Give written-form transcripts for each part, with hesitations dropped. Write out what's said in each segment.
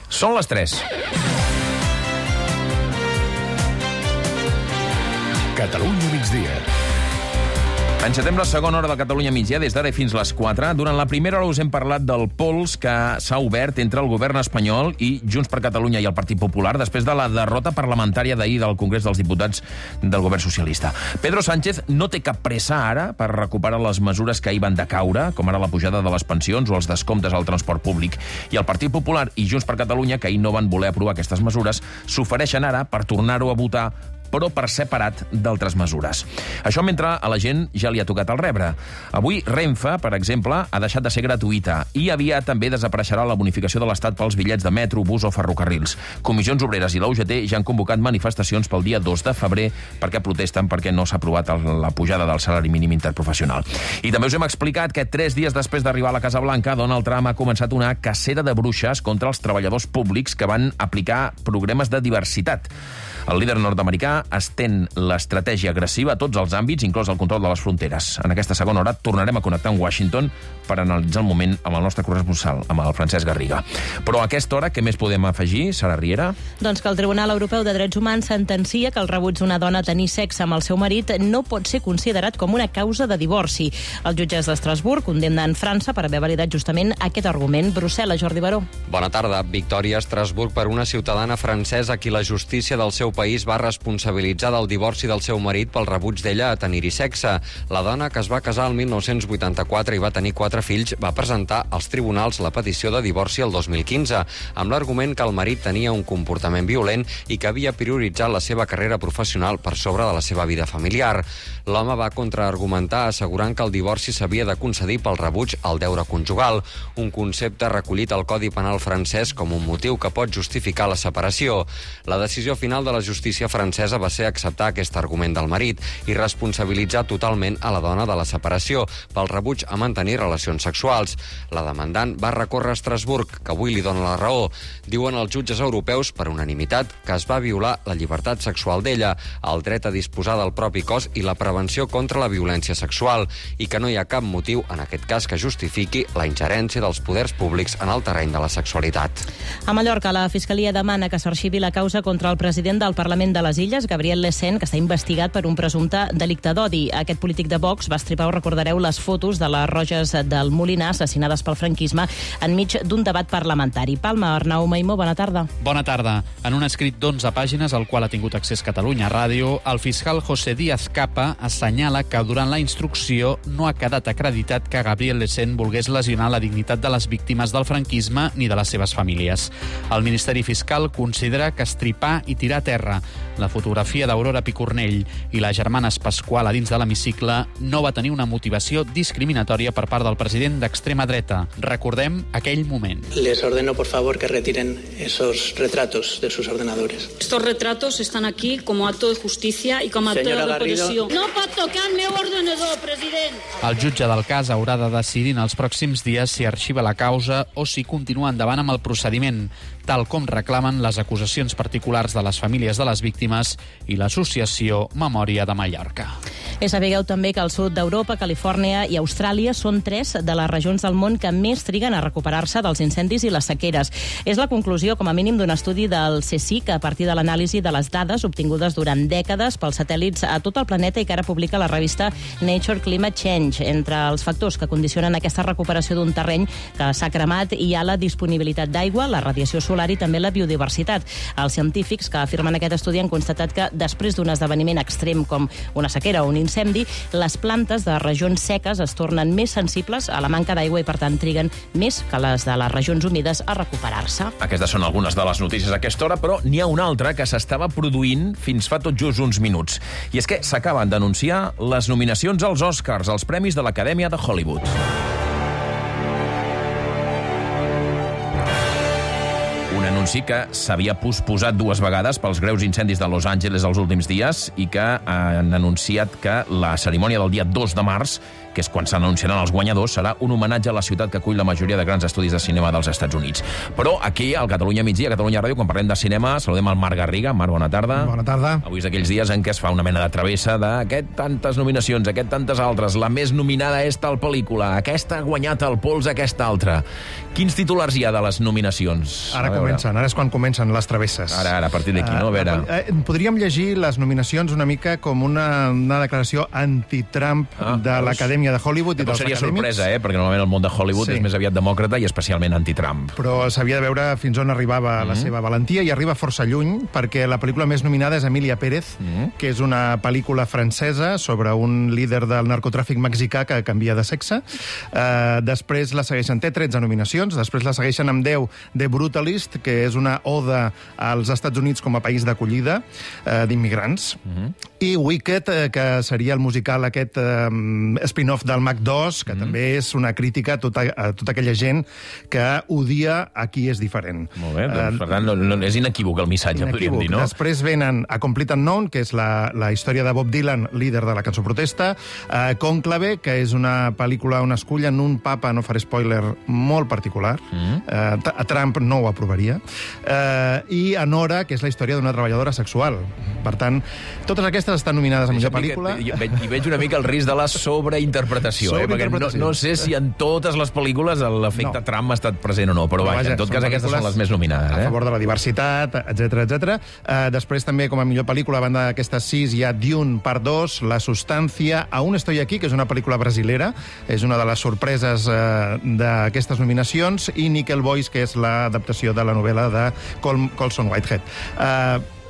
Són les 3. Catalunya migdia. Encetem la segona hora de Catalunya migdia des d'ara fins les 4. Durant la primera hora us hem parlat del pols que s'ha obert entre el govern espanyol i Junts per Catalunya i el Partit Popular després de la derrota parlamentària d'ahir del Congrés dels Diputats del govern socialista. Pedro Sánchez no té cap pressa ara per recuperar les mesures que ahir van decaure, com ara la pujada de les pensions o els descomptes al transport públic. I el Partit Popular i Junts per Catalunya, que ahir no van voler aprovar aquestes mesures, s'ofereixen ara per tornar-ho a votar, però per separat d'altres mesures. Això mentre a la gent ja li ha tocat el rebre. Avui Renfe, per exemple, ha deixat de ser gratuïta i aviat també desapareixerà la bonificació de l'Estat pels bitllets de metro, bus o ferrocarrils. Comissions Obreres i la UGT ja han convocat manifestacions pel dia 2 de febrer perquè protesten perquè no s'ha aprovat la pujada del salari mínim interprofessional. I també us hem explicat que 3 dies després d'arribar a la Casa Blanca, Donald Trump ha començat una cacera de bruixes contra els treballadors públics que van aplicar programes de diversitat. El líder nord-americà estén l'estratègia agressiva a tots els àmbits, inclòs el control de les fronteres. En aquesta segona hora tornarem a connectar amb Washington per analitzar el moment amb el nostre corresponsal, amb el Francesc Garriga. Però a aquesta hora, què més podem afegir, Sara Riera? Doncs que el Tribunal Europeu de Drets Humans sentencia que el rebuig d'una dona a tenir sexe amb el seu marit no pot ser considerat com una causa de divorci. Els jutges d'Estrasburg condemnen França per haver validat justament aquest argument. Brussel·les, Jordi Baró. Bona tarda. Victòria a Estrasburg per una ciutadana francesa a qui la justícia del seu país va responsabilitzar del divorci del seu marit pel rebuig d'ella a tenir-hi sexe. La dona, que es va casar el 1984 i va tenir 4 fills, va presentar als tribunals la petició de divorci el 2015, amb l'argument que el marit tenia un comportament violent i que havia prioritzat la seva carrera professional per sobre de la seva vida familiar. L'home va contraargumentar assegurant que el divorci s'havia de concedir pel rebuig al deure conjugal, un concepte recollit al Codi Penal francès com un motiu que pot justificar la separació. La decisió final de la justícia francesa va ser acceptar aquest argument del marit i responsabilitzar totalment a la dona de la separació pel rebuig a mantenir relacions sexuals. La demandant va recórrer a Estrasburg, que avui li dona la raó. Diuen els jutges europeus, per unanimitat, que es va violar la llibertat sexual d'ella, el dret a disposar del propi cos i la prevenció contra la violència sexual, i que no hi ha cap motiu, en aquest cas, que justifiqui la ingerència dels poders públics en el terreny de la sexualitat. A Mallorca, la Fiscalia demana que s'arxivi la causa contra el president del Parlament de les Illes, Gabriel Lecén, que està investigat per un presumpte delicte d'odi. Aquest polític de Vox va estripar, ho recordareu, les fotos de les Roges del Molinar assassinades pel franquisme enmig d'un debat parlamentari. Palma, Arnau Maimó, bona tarda. Bona tarda. En un escrit d'11 pàgines al qual ha tingut accés Catalunya Ràdio, el fiscal José Díaz Capa assenyala que durant la instrucció no ha quedat acreditat que Gabriel Lecén volgués lesionar la dignitat de les víctimes del franquisme ni de les seves famílies. El Ministeri Fiscal considera que estripar i tirar a terra la fotografia d'Aurora Picornell i les germanes Pasqual a dins de l'hemicicle no va tenir una motivació discriminatòria per part del president d'extrema dreta. Recordem aquell moment. Les ordeno, por favor, que retiren esos retratos de sus ordenadores. Estos retratos están aquí como acto de justicia y como acto de reparació. No pot tocar el meu ordenador, president! El jutge del cas haurà de decidir en els pròxims dies si arxiva la causa o si continua endavant amb el procediment, tal com reclamen les acusacions particulars de les famílies de les víctimes i l'associació Memòria de Mallorca. Sapigueu també que el sud d'Europa, Califòrnia i Austràlia són 3 de les regions del món que més triguen a recuperar-se dels incendis i les sequeres. És la conclusió, com a mínim, d'un estudi del CSIC a partir de l'anàlisi de les dades obtingudes durant dècades pels satèl·lits a tot el planeta i que ara publica la revista Nature Climate Change. Entre els factors que condicionen aquesta recuperació d'un terreny que s'ha cremat hi ha la disponibilitat d'aigua, la radiació solar i també la biodiversitat. Els científics que afirmen aquest estudi han constatat que després d'un esdeveniment extrem com una sequera o un incendi, les plantes de regions seques es tornen més sensibles a la manca d'aigua i, per tant, triguen més que les de les regions humides a recuperar-se. Aquestes són algunes de les notícies a aquesta hora, però n'hi ha una altra que s'estava produint fins fa tot just uns minuts. I és que s'acaben d'anunciar les nominacions als Oscars, als Premis de l'Acadèmia de Hollywood. Un anunci que s'havia posposat 2 vegades pels greus incendis de Los Angeles els últims dies i que han anunciat que la cerimònia del dia 2 de març que és quan s'anunciaran els guanyadors, serà un homenatge a la ciutat que acull la majoria de grans estudis de cinema dels Estats Units. Però aquí, al Catalunya Migdia, a Catalunya Ràdio, quan parlem de cinema, saludem el Marc Garriga. Marc, bona tarda. Bona tarda. Avui és d'aquells dies en què es fa una mena de travessa d'aquest tantes nominacions, aquest tantes altres. La més nominada és tal pel·lícula, aquesta ha guanyat el pols, aquesta altra. Quins titulars hi ha de les nominacions? Ara comencen, ara és quan comencen les travesses. Ara, a partir d'aquí, no? A veure... Podríem llegir les nominacions una mica com una declaració anti-Trump de l'Acadèmia de Hollywood i dels seria acadèmics. Sorpresa, perquè normalment el món de Hollywood és més aviat demòcrata i especialment anti-Trump. Però s'havia de veure fins on arribava la seva valentia, i arriba força lluny, perquè la pel·lícula més nominada és Emilia Pérez, que és una pel·lícula francesa sobre un líder del narcotràfic mexicà que canvia de sexe. Després la segueixen, té 13 nominacions, després la segueixen amb 10 de Brutalist, que és una oda als Estats Units com a país d'acollida d'immigrants, i Wicked, que seria el musical aquest spin-off del Mac 2, que també és una crítica a tota aquella gent que odia a qui és diferent. Molt bé, doncs, per tant, és inequívoc el missatge, podríem dir, no? Després venen A Complete Unknown, que és la història de Bob Dylan, líder de la cançó protesta, Cònclave, que és una pel·lícula on escullen un papa, no faré spoiler, molt particular, a Trump no ho aprovaria, i Anora, que és la història d'una treballadora sexual. Per tant, totes aquestes estan nominades a millor pel·lícula. I veig una mica el risc de la sobreinterpretació, perquè no sé si en totes les pel·lícules l'efecte Trump ha estat present o no, però vaja, en tot cas aquestes són les més nominades. A favor de la diversitat, etc. Després també, com a millor pel·lícula, a banda d'aquestes 6, hi ha Dune, part 2, La Sustancia, Aún estoy aquí, que és una pel·lícula brasilera, és una de les sorpreses d'aquestes nominacions, i Nickel Boys, que és l'adaptació de la novel·la de Colson Whitehead.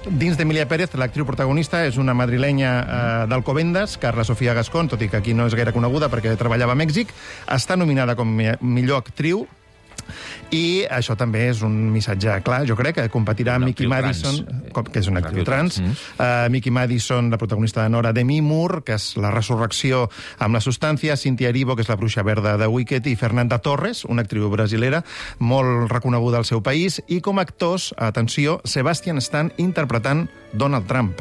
Dins d'Emilia Pérez, l'actriu protagonista és una madrilenya d'Alcobendas, Carla Sofía Gascón, tot i que aquí no és gaire coneguda perquè treballava a Mèxic, està nominada com millor actriu, i això també és un missatge clar, jo crec, que competirà amb Mickey Madison, que és una actriu trans, Mickey Madison, la protagonista de Nora, Demi Moore, que és La resurrecció amb La Substància, Cynthia Erivo, que és la bruixa verda de Wicked, i Fernanda Torres, una actriu brasilera molt reconeguda al seu país, i com a actors, atenció, Sebastian Stan interpretant Donald Trump.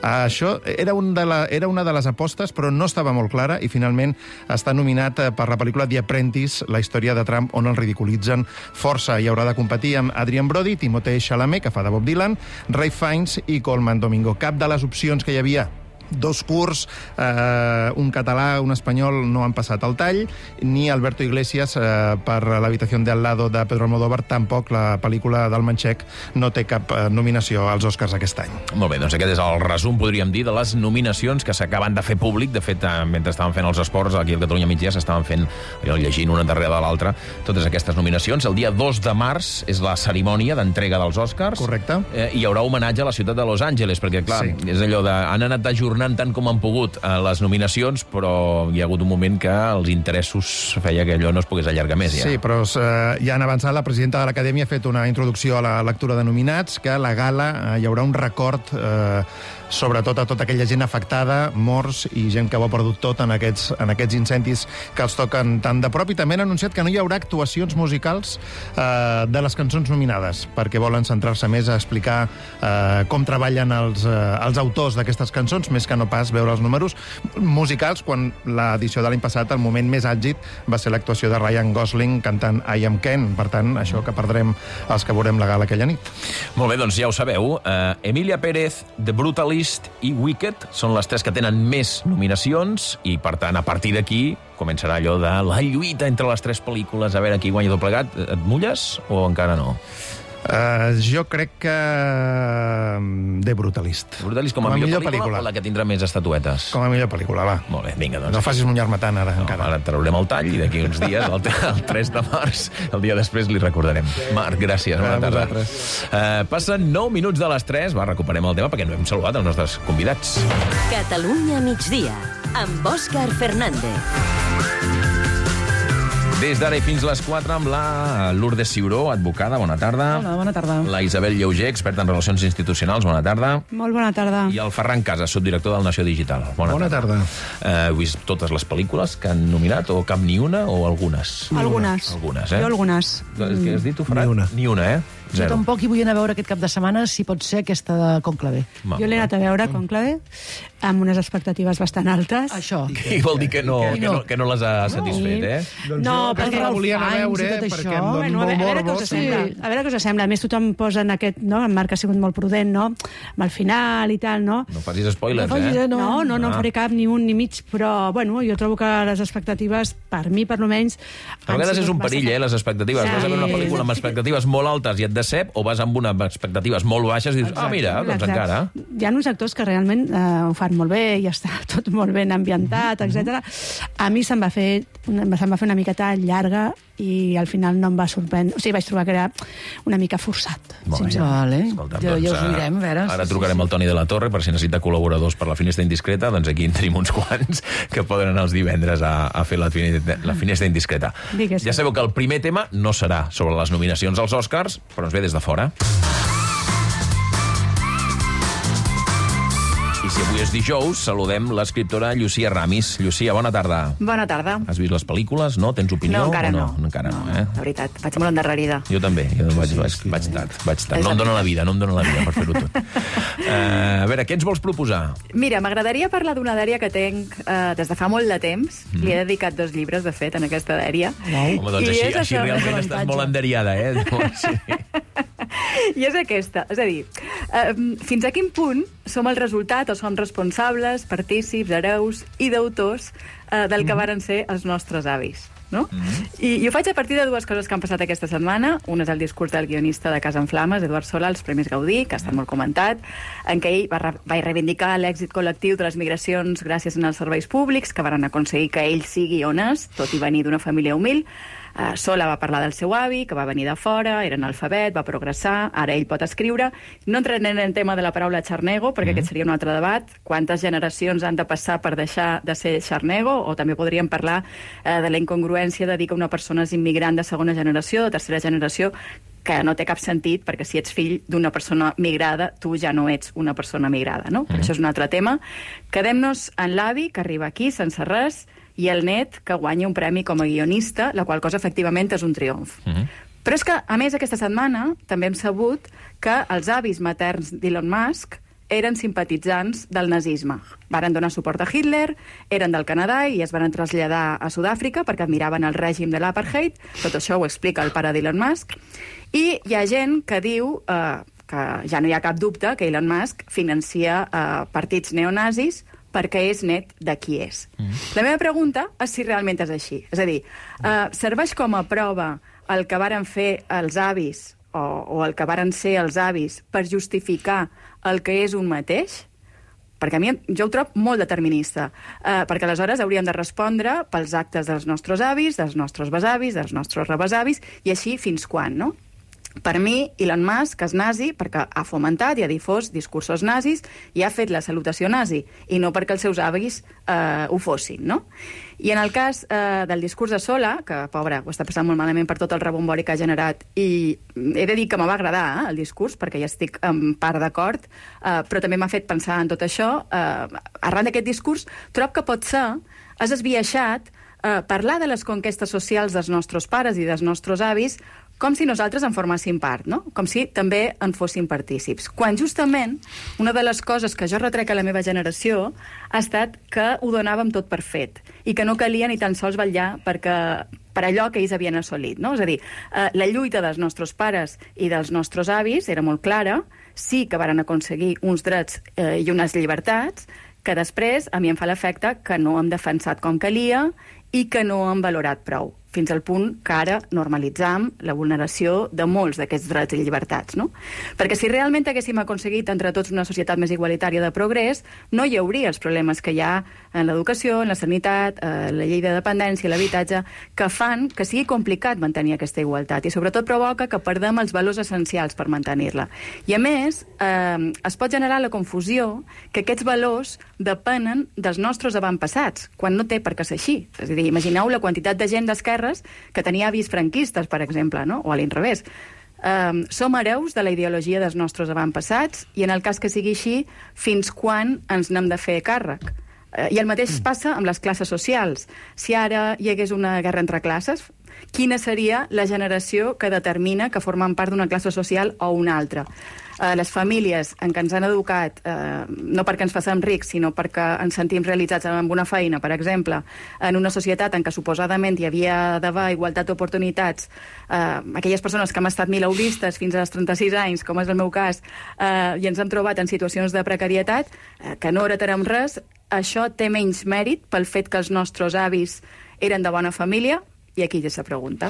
Això era una de les apostes, però no estava molt clara, i finalment està nominat per la pel·lícula The Apprentice, la història de Trump, on el ridiculitzen força, i haurà de competir amb Adrien Brody, Timothée Chalamet, que fa de Bob Dylan, Ralph Fiennes i Colman Domingo. Cap de les opcions que hi havia, 2 curts, un català, un espanyol, no han passat el tall, ni Alberto Iglesias per l'habitació de al lado de Pedro Almodóvar, tampoc. La pel·lícula del manxec no té cap nominació als Oscars aquest any. Molt bé, doncs aquest és el resum, podríem dir, de les nominacions que s'acaben de fer públic. De fet, mentre estaven fent els esports, aquí al Catalunya Migdia s'estaven fent, llegint una darrere de l'altra, totes aquestes nominacions. El dia 2 de març és la cerimònia d'entrega dels Oscars. Correcte. I hi haurà homenatge a la ciutat de Los Angeles, perquè, clar, és allò de... Han anat ajornant tant com han pogut les nominacions, però hi ha hagut un moment que els interessos feia que allò no es pogués allargar més. Ja. Sí, però ja han avançat. La presidenta de l'Acadèmia ha fet una introducció a la lectura de nominats, que a la gala hi haurà un record sobretot a tota aquella gent afectada, morts i gent que ho ha perdut tot en aquests incendis que els toquen tan de prop, i també han anunciat que no hi haurà actuacions musicals de les cançons nominades, perquè volen centrar-se més a explicar com treballen els autors d'aquestes cançons, més que no pas veure els números musicals, quan l'edició de l'any passat, el moment més àlgid, va ser l'actuació de Ryan Gosling cantant I Am Ken. Per tant, això que perdrem els que veurem la gala aquella nit. Molt bé, doncs ja ho sabeu. Emilia Pérez, The Brutalist i Wicked són les 3 que tenen més nominacions, i per tant, a partir d'aquí començarà allò de la lluita entre les 3 pel·lícules, a veure qui guanya tot plegat. Et mulles o encara no? Jo crec que The Brutalist. Brutalist com a millor pel·lícula o la que tindrà més estatuetes? Com a millor pel·lícula, va. Molt bé, vinga, doncs. No facis mullar-me tant, ara, encara. Ara traurem el tall, i d'aquí uns dies, el 3 de març, el dia després, li recordarem. Marc, gràcies. Bona tarda. Passen 9 minuts de les 3, recuperem el tema, perquè no hem saludat els nostres convidats. Catalunya migdia, amb Òscar Fernández. Des d'ara i fins les 4 amb la Lourdes Ciuró, advocada, bona tarda. Hola, bona tarda. La Isabel Lleuger, experta en relacions institucionals, bona tarda. Molt bona tarda. I el Ferran Casas, subdirector del Nació Digital. Bona tarda. Heu vist totes les pel·lícules que han nominat, o cap ni una, o algunes? Algunes. Algunes, Jo algunes. Què has dit tu, Ferran? Ni una. Ni una, Jo tampoc hi vull anar a veure aquest cap de setmana, si pot ser aquesta de Conclave. Jo l'he anat a veure, Conclave, amb unes expectatives bastant altes. Això. I vol dir que no les ha satisfet, eh? No, perquè la volia anar a veure, perquè em dona molt morbo. A veure què us sembla. A més, tothom posa en aquest, no? En Marc ha sigut molt prudent, no? Amb el final i tal, no? No facis spoilers, eh? No en faré cap, ni un ni mig, però, bueno, jo trobo que les expectatives, per mi, per almenys... A vegades és un perill, les expectatives. Vas a veure una pel·lícula amb expectatives molt altes i et decep, o vas amb unes expectatives molt baixes i dius, mira, doncs encara. Hi ha uns actors que realment ho fan molt bé, i està tot molt ben ambientat, etc. A mi se'm va fer una miqueta llarga i al final no em va sorprendre. O sigui, vaig trobar que era una mica forçat. Vale. Ja us ho direm, a veure. Ara trucarem al Toni de la Torre per si necessita col·laboradors per la Finestra Indiscreta, doncs aquí en tenim uns quants que poden anar els divendres a fer la Finestra Indiscreta. Ja sabeu que el primer tema no serà sobre les nominacions als Oscars, però ens ve des de fora. I si avui és dijous, saludem l'escriptora Llucia Ramis. Llucia, bona tarda. Bona tarda. Has vist les pel·lícules, no? Tens opinió? No, encara no. Encara no, eh? La veritat, vaig molt endarrerida. Jo també, vaig tard. No em dóna la vida per fer-ho tot. A veure, què ens vols proposar? Mira, m'agradaria parlar d'una dèria que tenc des de fa molt de temps. Li he dedicat 2 llibres, de fet, en aquesta dèria. Home, doncs així realment estàs molt enderiada, eh? I és aquesta. És a dir, fins a quin punt som el resultat o som responsables, partícips, hereus i deutors del que varen ser els nostres avis. No? I ho faig a partir de 2 coses que han passat aquesta setmana. Un és el discurs del guionista de Casa en Flames, Eduard Sola, als Premis Gaudí, que ha estat molt comentat, en què ell va reivindicar l'èxit col·lectiu de les migracions gràcies als serveis públics, que varen aconseguir que ell sigui on és, tot i venir d'una família humil. Sola va parlar del seu avi, que va venir de fora, era analfabet, va progressar, ara ell pot escriure. No entrarem en el tema de la paraula xarnego, perquè aquest seria un altre debat. Quantes generacions han de passar per deixar de ser xarnego? O també podríem parlar de la incongruència de dir que una persona és immigrant de segona generació, de tercera generació, que no té cap sentit, perquè si ets fill d'una persona migrada, tu ja no ets una persona migrada, no? Però això és un altre tema. Quedem-nos en l'avi, que arriba aquí sense res, i el net, que guanya un premi com a guionista, la qual cosa, efectivament, és un triomf. Però és que, a més, aquesta setmana també hem sabut que els avis materns d'Elon Musk eren simpatitzants del nazisme. Varen donar suport a Hitler, eren del Canadà i es van traslladar a Sud-àfrica perquè admiraven el règim de l'apartheid. Tot això ho explica el pare d'Elon Musk. I hi ha gent que diu que ja no hi ha cap dubte que Elon Musk financia partits neonazis perquè és net de qui és. La meva pregunta és si realment és així. És a dir, serveix com a prova el que varen fer els avis o el que varen ser els avis per justificar el que és un mateix? Perquè a mi jo ho trobo molt determinista, perquè aleshores hauríem de respondre pels actes dels nostres avis, dels nostres besavis, dels nostres rebesavis, i així fins quan, no? Per mi, Elon Musk és nazi perquè ha fomentat i ha difós discursos nazis i ha fet la salutació nazi, i no perquè els seus avis ho fossin, no? I en el cas del discurs de Sola, que, pobre, ho està passant molt malament per tot el rebombori que ha generat, i he de dir que me va agradar el discurs, perquè ja estic en part d'acord, però també m'ha fet pensar en tot això. Arran d'aquest discurs, trobo que pot ser, has esbiaixat, parlar de les conquestes socials dels nostres pares i dels nostres avis com si nosaltres en forméssim part, no? Com si també en fóssim partícips. Quan justament una de les coses que jo retrec a la meva generació ha estat que ho donàvem tot per fet i que no calia ni tan sols vetllar per allò que ells havien assolit, no? És a dir, la lluita dels nostres pares i dels nostres avis era molt clara, sí que varen aconseguir uns drets i unes llibertats que després a mi em fa l'efecte que no hem defensat com calia i que no hem valorat prou, fins al punt que ara normalitzam la vulneració de molts d'aquests drets i llibertats, no? Perquè si realment haguéssim aconseguit entre tots una societat més igualitària de progrés, no hi hauria els problemes que hi ha en l'educació, en la sanitat, la llei de dependència, l'habitatge, que fan que sigui complicat mantenir aquesta igualtat i sobretot provoca que perdem els valors essencials per mantenir-la. I a més, es pot generar la confusió que aquests valors depenen dels nostres avantpassats, quan no té per què ser així. És a dir, imagineu la quantitat de gent d'esquerres que tenia avis franquistes, per exemple, no? O a l'inrevés. Som hereus de la ideologia dels nostres avantpassats i en el cas que sigui així, fins quan ens n'hem de fer càrrec? I el mateix passa amb les classes socials. Si ara hi hagués una guerra entre classes, quina seria la generació que determina que formen part d'una classe social o una altra. Les famílies en què ens han educat, no perquè ens facem rics, sinó perquè ens sentim realitzats amb una feina, per exemple, en una societat en què suposadament hi havia d'haver igualtat d'oportunitats, aquelles persones que hem estat milauristes fins als 36 anys, com és el meu cas, i ens hem trobat en situacions de precarietat, que no heretarem res, això té menys mèrit pel fet que els nostres avis eren de bona família. I aquí ja se pregunta.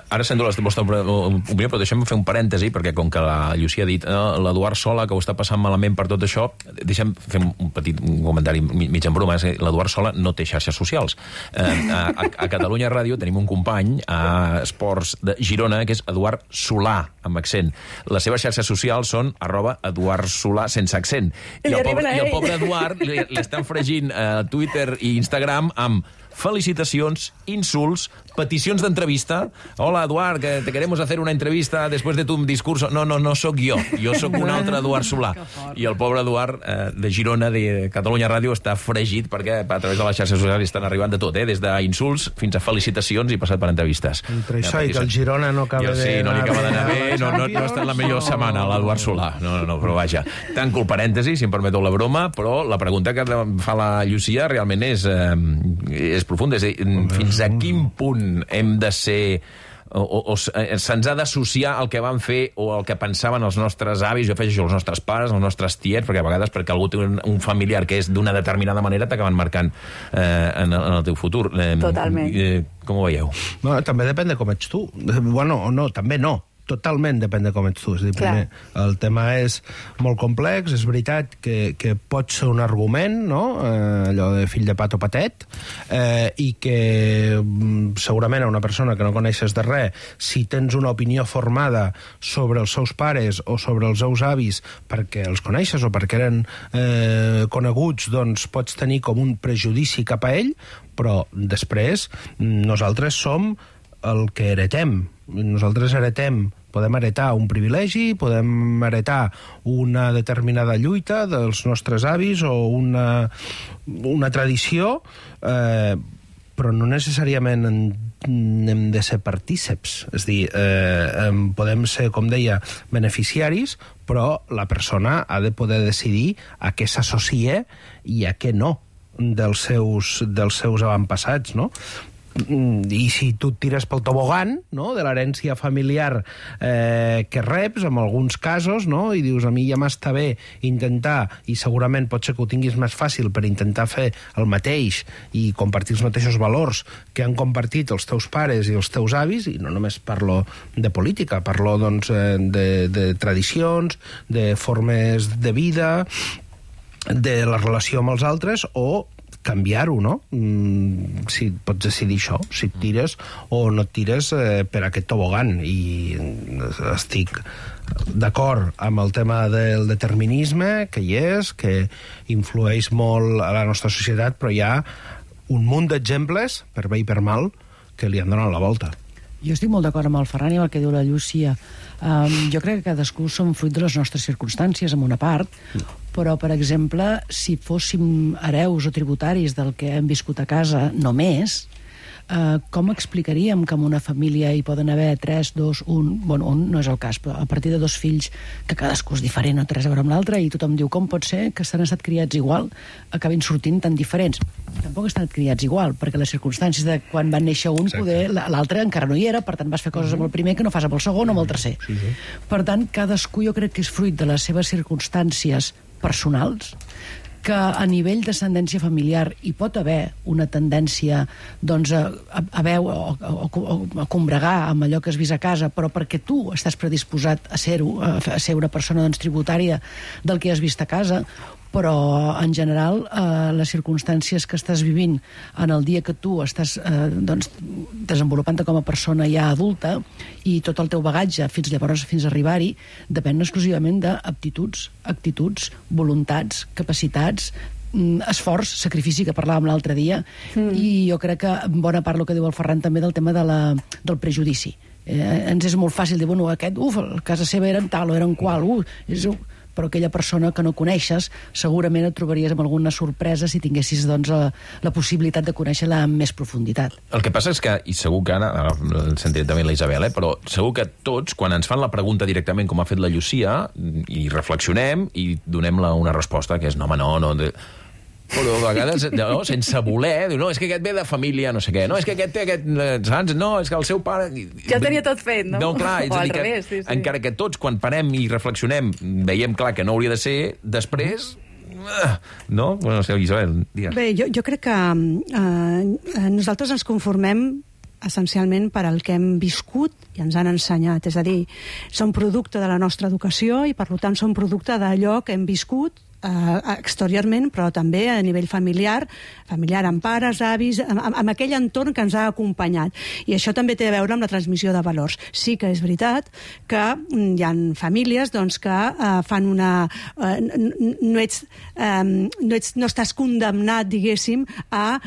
Ara sento la vostra opinió, però deixem fer un parèntesi, perquè com que la Llucia ha dit l'Eduard Sola, que ho està passant malament per tot això, deixem fer un petit comentari mig en broma, l'Eduard Sola no té xarxes socials. A Catalunya Ràdio tenim un company a Esports de Girona, que és Eduard Solà, amb accent. Les seves xarxes socials són @EduardSolà sense accent. I el pobre Eduard li estan fregint a Twitter i Instagram amb felicitacions, insults, peticions d'entrevista. Hola, Eduard, que te queremos hacer una entrevista después de tu discurso. No sóc jo sóc un altre Eduard Solà. I el pobre Eduard de Girona, de Catalunya Ràdio, està fregit perquè a través de les xarxes socials estan arribant de tot, des d'insults fins a felicitacions i passat per entrevistes. Entre això i que el Girona no acaba Sí, no li acaba d'anar bé, no està en la millor setmana, l'Eduard Solà. No, però vaja. Tanco el parèntesi, si em permeteu la broma, però la pregunta que fa la Llucia realment és profunda. És a dir, fins a quin punt hem de ser o se'ns ha d'associar el que van fer o el que pensaven els nostres avis, jo afegeixo els nostres pares, els nostres tiets, perquè a vegades perquè algú té un familiar que és d'una determinada manera t'acaben marcant en el teu futur. Totalment. Com ho veieu? No, també depèn de com ets tu. Bueno, no, també no. Totalment depèn de com ets tu. És a dir, primer, el tema és molt complex, és veritat que pot ser un argument, no? Allò de fill de pat o patet, i que segurament a una persona que no coneixes de res, si tens una opinió formada sobre els seus pares o sobre els seus avis perquè els coneixes o perquè eren coneguts, doncs pots tenir com un prejudici cap a ell, però després nosaltres som el que heretem. Nosaltres podem heretar un privilegi, podem heretar una determinada lluita dels nostres avis o una tradició, però no necessàriament hem de ser partíceps. És a dir, podem ser, com deia, beneficiaris, però la persona ha de poder decidir a què s'associa i a què no dels seus avantpassats, no? I si tu et tires pel tobogan, no?, de l'herència familiar que reps, en alguns casos, no?, i dius, a mi ja m'està bé intentar, i segurament pot ser que ho tinguis més fàcil per intentar fer el mateix i compartir els mateixos valors que han compartit els teus pares i els teus avis, i no només parlo de política, parlo, doncs, de tradicions, de formes de vida, de la relació amb els altres, o canviar-ho, no? Si pots decidir això, si et tires o no et tires per aquest tobogan. I estic d'acord amb el tema del determinisme, que hi és, que influeix molt a la nostra societat, però hi ha un munt d'exemples, per bé i per mal, que li han donat la volta. Jo estic molt d'acord amb el Ferran i amb el que diu la Llúcia. Jo crec que cadascú som fruit de les nostres circumstàncies, en una part, però, per exemple, si fóssim hereus o tributaris del que hem viscut a casa només, com explicaríem que en una família hi poden haver 3, 2, 1... Bueno, un no és el cas, però a partir de 2 fills, que cadascú és diferent, no té res a veure amb l'altre, i tothom diu, com pot ser que s'han estat criats igual, acabin sortint tan diferents? Tampoc estan criats igual, perquè les circumstàncies de quan van néixer un, poder l'altre encara no hi era, per tant vas fer coses amb el primer que no fas amb el segon o amb el tercer. Per tant, cadascú jo crec que és fruit de les seves circumstàncies personals, que a nivell d'ascendència familiar hi pot haver una tendència, doncs, a combregar amb allò que has vist a casa, però perquè tu estàs predisposat a ser una persona, doncs, tributària del que has vist a casa, però en general les circumstàncies que estàs vivint en el dia que tu estàs desenvolupant-te com a persona ja adulta, i tot el teu bagatge fins llavors, fins a arribar-hi, depèn exclusivament d'aptituds, actituds, voluntats, capacitats, esforç, sacrifici, que parlàvem l'altre dia, i jo crec que en bona part el que diu el Ferran també del tema del prejudici. Ens és molt fàcil dir, bueno, aquest, a casa seva eren tal o eren qual, però aquella persona que no coneixes segurament et trobaries amb alguna sorpresa si tinguessis doncs, la possibilitat de conèixer-la amb més profunditat. El que passa és que, i segur que ara sentiré també la Isabel, però segur que tots, quan ens fan la pregunta directament com ha fet la Llucia, i reflexionem i donem una resposta que és no, home, no... Però a vegades, sense voler, diu, no, és que aquest ve de família, no sé què, no, és que aquest té aquest... Saps? No, és que el seu pare... Ja ho tenia tot fet, no? No, clar, o al revés, sí. Encara que tots, quan parem i reflexionem, veiem clar que no hauria de ser, després... No? Bueno, no sé, Isabel, digues. Bé, jo crec que nosaltres ens conformem essencialment per al que hem viscut i ens han ensenyat. És a dir, som producte de la nostra educació i, per tant, som producte d'allò que hem viscut exteriorment, però també a nivell familiar amb pares, avis, amb aquell entorn que ens ha acompanyat. I això també té a veure amb la transmissió de valors. Sí que és veritat que hi ha famílies doncs, que fan una... No estàs condemnat, diguéssim, a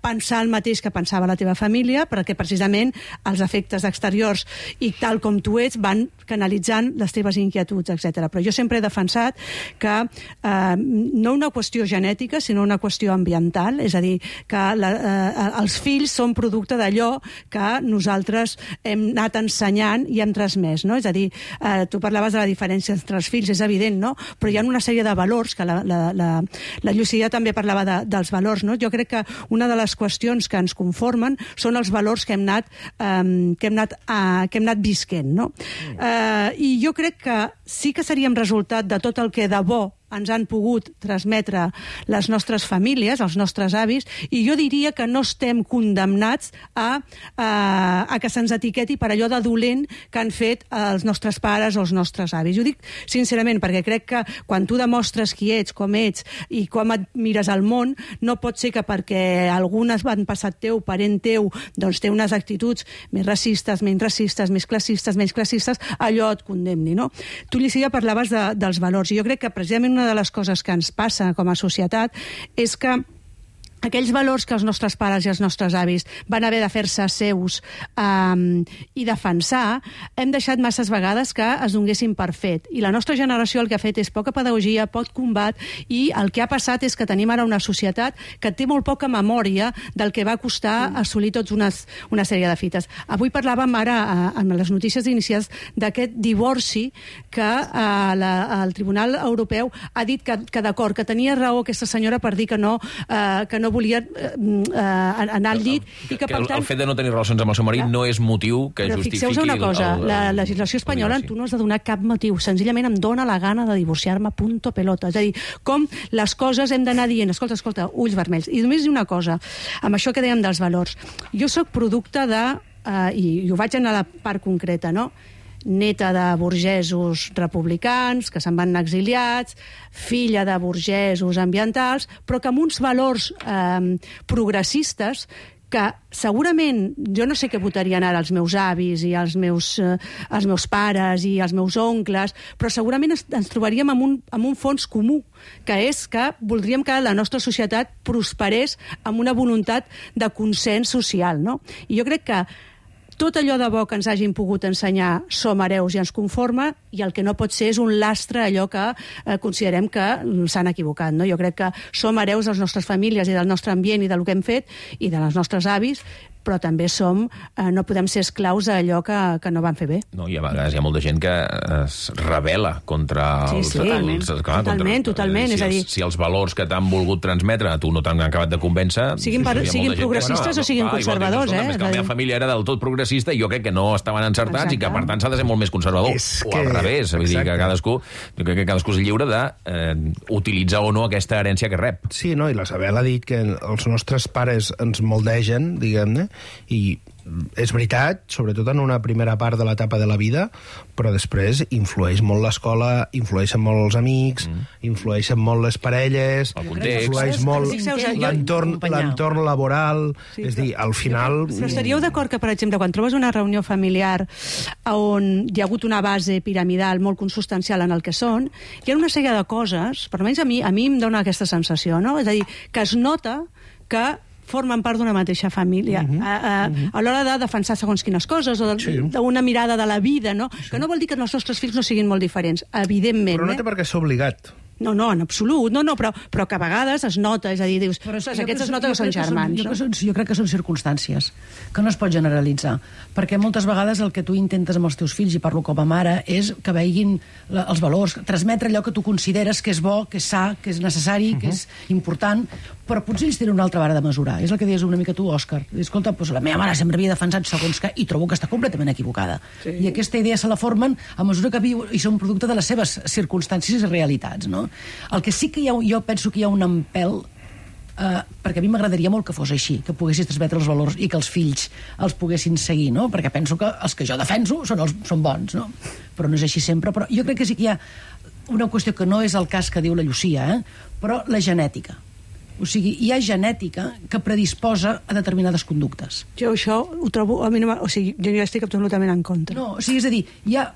pensar el mateix que pensava la teva família, perquè precisament els efectes exteriors i tal com tu ets van canalitzant les teves inquietuds, etc. Però jo sempre he defensat que no una qüestió genètica, sinó una qüestió ambiental, és a dir, que els fills són producte d'allò que nosaltres hem anat ensenyant i hem transmès, no? És a dir, tu parlaves de la diferència entre els fills, és evident, no? Però hi ha una sèrie de valors, que la Llucia també parlava dels valors, no? Jo crec que una de les qüestions que ens conformen són els valors que hem anat visquent, no? I jo crec que sí que seríem resultat de tot el que de bo ens han pogut transmetre les nostres famílies, els nostres avis, i jo diria que no estem condemnats a que se'ns etiqueti per allò de dolent que han fet els nostres pares o els nostres avis. Ho dic sincerament, perquè crec que quan tu demostres qui ets, com ets i com et mires al món, no pot ser que perquè algunes van passat teu, parent teu, doncs té unes actituds més racistes, menys racistes, més classistes, menys classistes, allò et condemni, no? Tu, Llucia, parlaves dels valors, i jo crec que precisament una de les coses que ens passa com a societat és que aquells valors que els nostres pares i els nostres avis van haver de fer-se seus i defensar, hem deixat masses vegades que es donguessin per fet. I la nostra generació el que ha fet és poca pedagogia, poc combat, i el que ha passat és que tenim ara una societat que té molt poca memòria del que va costar assolir tots una sèrie de fites. Avui parlàvem ara, amb les notícies inicials, d'aquest divorci que el Tribunal Europeu ha dit que d'acord, que tenia raó aquesta senyora per dir que no volia anar al llit i que, per tant... El fet de no tenir relacions amb el seu marit no és motiu que justifiqui... Però fixeu-vos una cosa, la legislació espanyola tu no has de donar cap motiu, senzillament em dóna la gana de divorciar-me, punto pelota. És a dir, com les coses hem d'anar dient, escolta, ulls vermells. I només dir una cosa, amb això que dèiem dels valors. Jo sóc producte de... I ho vaig anar a la part concreta, no?, neta de burgesos republicans que se'n van exiliats, filla de burgesos ambientals, però que amb uns valors progressistes que segurament, jo no sé què votarien ara els meus avis i els meus pares i els meus oncles, però segurament ens trobaríem amb un fons comú, que és que voldríem que la nostra societat prosperés amb una voluntat de consens social, no? I jo crec que tot allò de bo que ens hagin pogut ensenyar som hereus i ens conforma, i el que no pot ser és un lastre allò que considerem que s'han equivocat, no? Jo crec que som hereus de les nostres famílies i del nostre ambient i del que hem fet i de les nostres avis, però també no podem ser esclaus d'allò que no van fer bé. No, i a vegades hi ha molta gent que es rebel·la contra els... Totalment. És a dir, si els valors que t'han volgut transmetre tu no t'han acabat de convèncer... Siguin progressistes o siguin conservadors, eh? La meva família era del tot progressista i jo crec que no estaven encertats i que, per tant, s'ha de ser molt més conservador. O al revés, vull dir que cadascú és lliure d'utilitzar o no aquesta herència que rep. Sí, no, i la Isabel ha dit que els nostres pares ens moldegen, diguem-ne, i és veritat, sobretot en una primera part de l'etapa de la vida, però després influeix molt l'escola, influeixen molt els amics, influeixen molt les parelles, influeix molt l'entorn laboral, és a dir, al final... Però estaríeu d'acord que, per exemple, quan trobes una reunió familiar on hi ha hagut una base piramidal molt consubstancial en el que són, hi ha una sèrie de coses, per almenys a mi em dona aquesta sensació, no? És a dir, que es nota que formen part d'una mateixa família. A l'hora de defensar segons quines coses, o d'una mirada de la vida, no? Que no vol dir que els nostres fills no siguin molt diferents, evidentment. Però no té per què ser obligat. No, en absolut, però que a vegades es nota, és a dir, dius, aquests es nota que són germans. Jo crec que són circumstàncies, que no es pot generalitzar, perquè moltes vegades el que tu intentes amb els teus fills, i parlo com a mare, és que veguin els valors, transmetre allò que tu consideres que és bo, que és sa, que és necessari, que és important, però potser ells tenen una altra vara de mesurar. És el que deies una mica tu, Òscar. Escolta, la meva mare sempre havia defensat segons què, i trobo que està completament equivocada. I aquesta idea se la formen a mesura que viu i són producte de les seves circumstàncies i realitats, no? El que sí que jo penso que hi ha un empel, perquè a mi m'agradaria molt que fos així, que poguessis transmetre els valors i que els fills els poguessin seguir, no? Perquè penso que els que jo defenso són bons, no? Però no és així sempre. Però jo crec que sí que hi ha una qüestió que no és el cas que diu la Llucia, però la genètica. O sigui, hi ha genètica que predisposa a determinades conductes. Jo això ho trobo... O sigui, jo estic absolutament en contra. No, o sigui, és a dir, hi ha,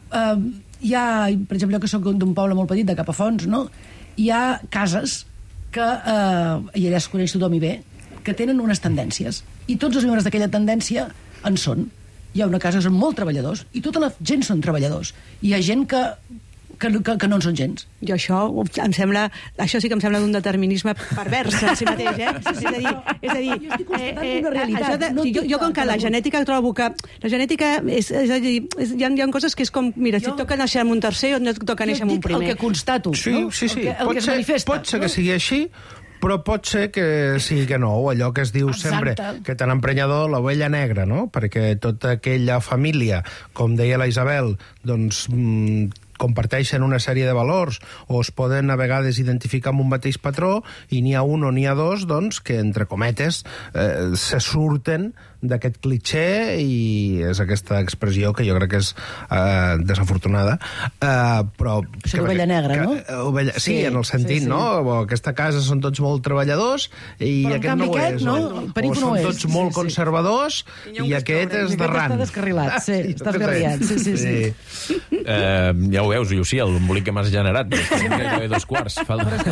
per exemple, jo que soc d'un poble molt petit, de Capafonts, no?, hi ha cases que, i allà es coneix tothom i bé, que tenen unes tendències, i tots els membres d'aquella tendència en són. Hi ha una casa que són molt treballadors, i tota la gent són treballadors. Hi ha gent que no en són gens. Jo això sí que em sembla d'un determinisme pervers en si mateix, És a dir, jo estic constatant una realitat. Jo com que la genètica trobo que... La genètica és a dir, hi ha coses que és com, mira, si et toca néixer amb un tercer o no et toca néixer amb un primer. El que constato, no? Sí. El que es manifesta. Pot ser que sigui així, però pot ser que sigui que no, allò que es diu sempre, que tan emprenyador l'ovella negra, no? Perquè tota aquella família, com deia la Isabel, doncs comparteixen una sèrie de valors o es poden a vegades identificar amb un mateix patró i n'hi ha un o n'hi ha dos doncs, que, entre cometes, se surten d'aquest clitxé i és aquesta expressió que jo crec que és desafortunada, però... És l'ovella negra, no? Sí, en el sentit, no? Aquesta casa són tots molt treballadors i aquest no ho és. O són tots molt conservadors i aquest és d'arran. Està descarrilat, està descarrilat. Sí. Ja ho veus, Llucia, l'embolic que m'has generat. Gairebé 2/4.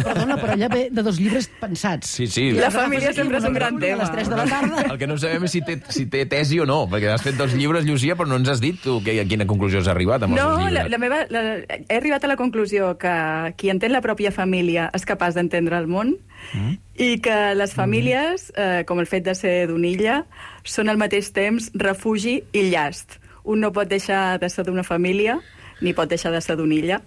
Perdona, però allà ve de 2 llibres pensats. Sí. La família sempre és un gran tema. A les 3 de la tarda. El que no sabem és si té tesi o no, perquè has fet 2 llibres, Llucia, però no ens has dit tu a quina conclusió has arribat amb els 2 llibres. He arribat a la conclusió que qui entén la pròpia família és capaç d'entendre el món i que les famílies, com el fet de ser d'una illa, són al mateix temps refugi i llast. Un no pot deixar de ser d'una família ni pot deixar de ser d'una illa,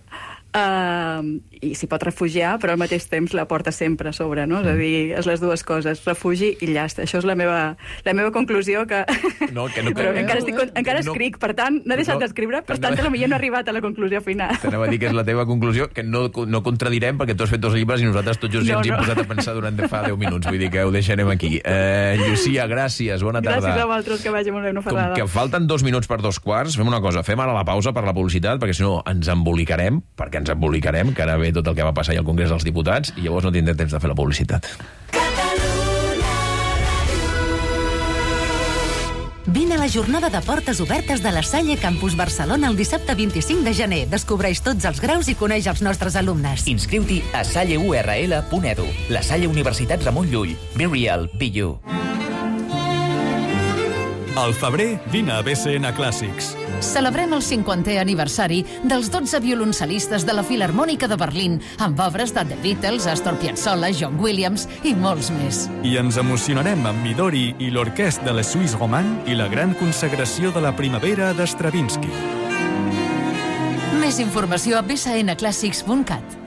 i s'hi pot refugiar, però al mateix temps la porta sempre a sobre, no? És a dir, és les dues coses, refugi i llast. Això és la meva conclusió, que... Però encara escric, per tant, no he deixat d'escriure, per tant, potser no he arribat a la conclusió final. T'anava a dir que és la teva conclusió, que no contradirem, perquè tu has fet 2 llibres i nosaltres tots just ens hi hem posat a pensar durant fa 10 minuts, vull dir que ho deixarem aquí. Llucia, gràcies, bona tarda. Gràcies a vosaltres, que vagi molt bé, no Com que falten 2 minuts per 2/4, fem una cosa, fem ara la pausa per la publicitat, perquè si no ens embolicarem, que ara ve tot el que va passar al Congrés dels Diputats i llavors no tindrem temps de fer la publicitat. Vine a la jornada de portes obertes de la Salle Campus Barcelona el dissabte 25 de gener. Descobreix tots els graus i coneix els nostres alumnes. Inscriu-t'hi a salleurl.edu. La Salle Universitat Ramon Llull. Be real, be you. Al febrer, vine a BCN Clàssics. Celebrem el 50è aniversari dels 12 violoncel·listes de la Filharmònica de Berlín, amb obres de The Beatles, Astor Piazzolla, John Williams i molts més. I ens emocionarem amb Midori i l'Orquestra de la Suisse Romand i la gran consagració de la primavera d'Stravinsky. Més informació a bcnclassics.cat.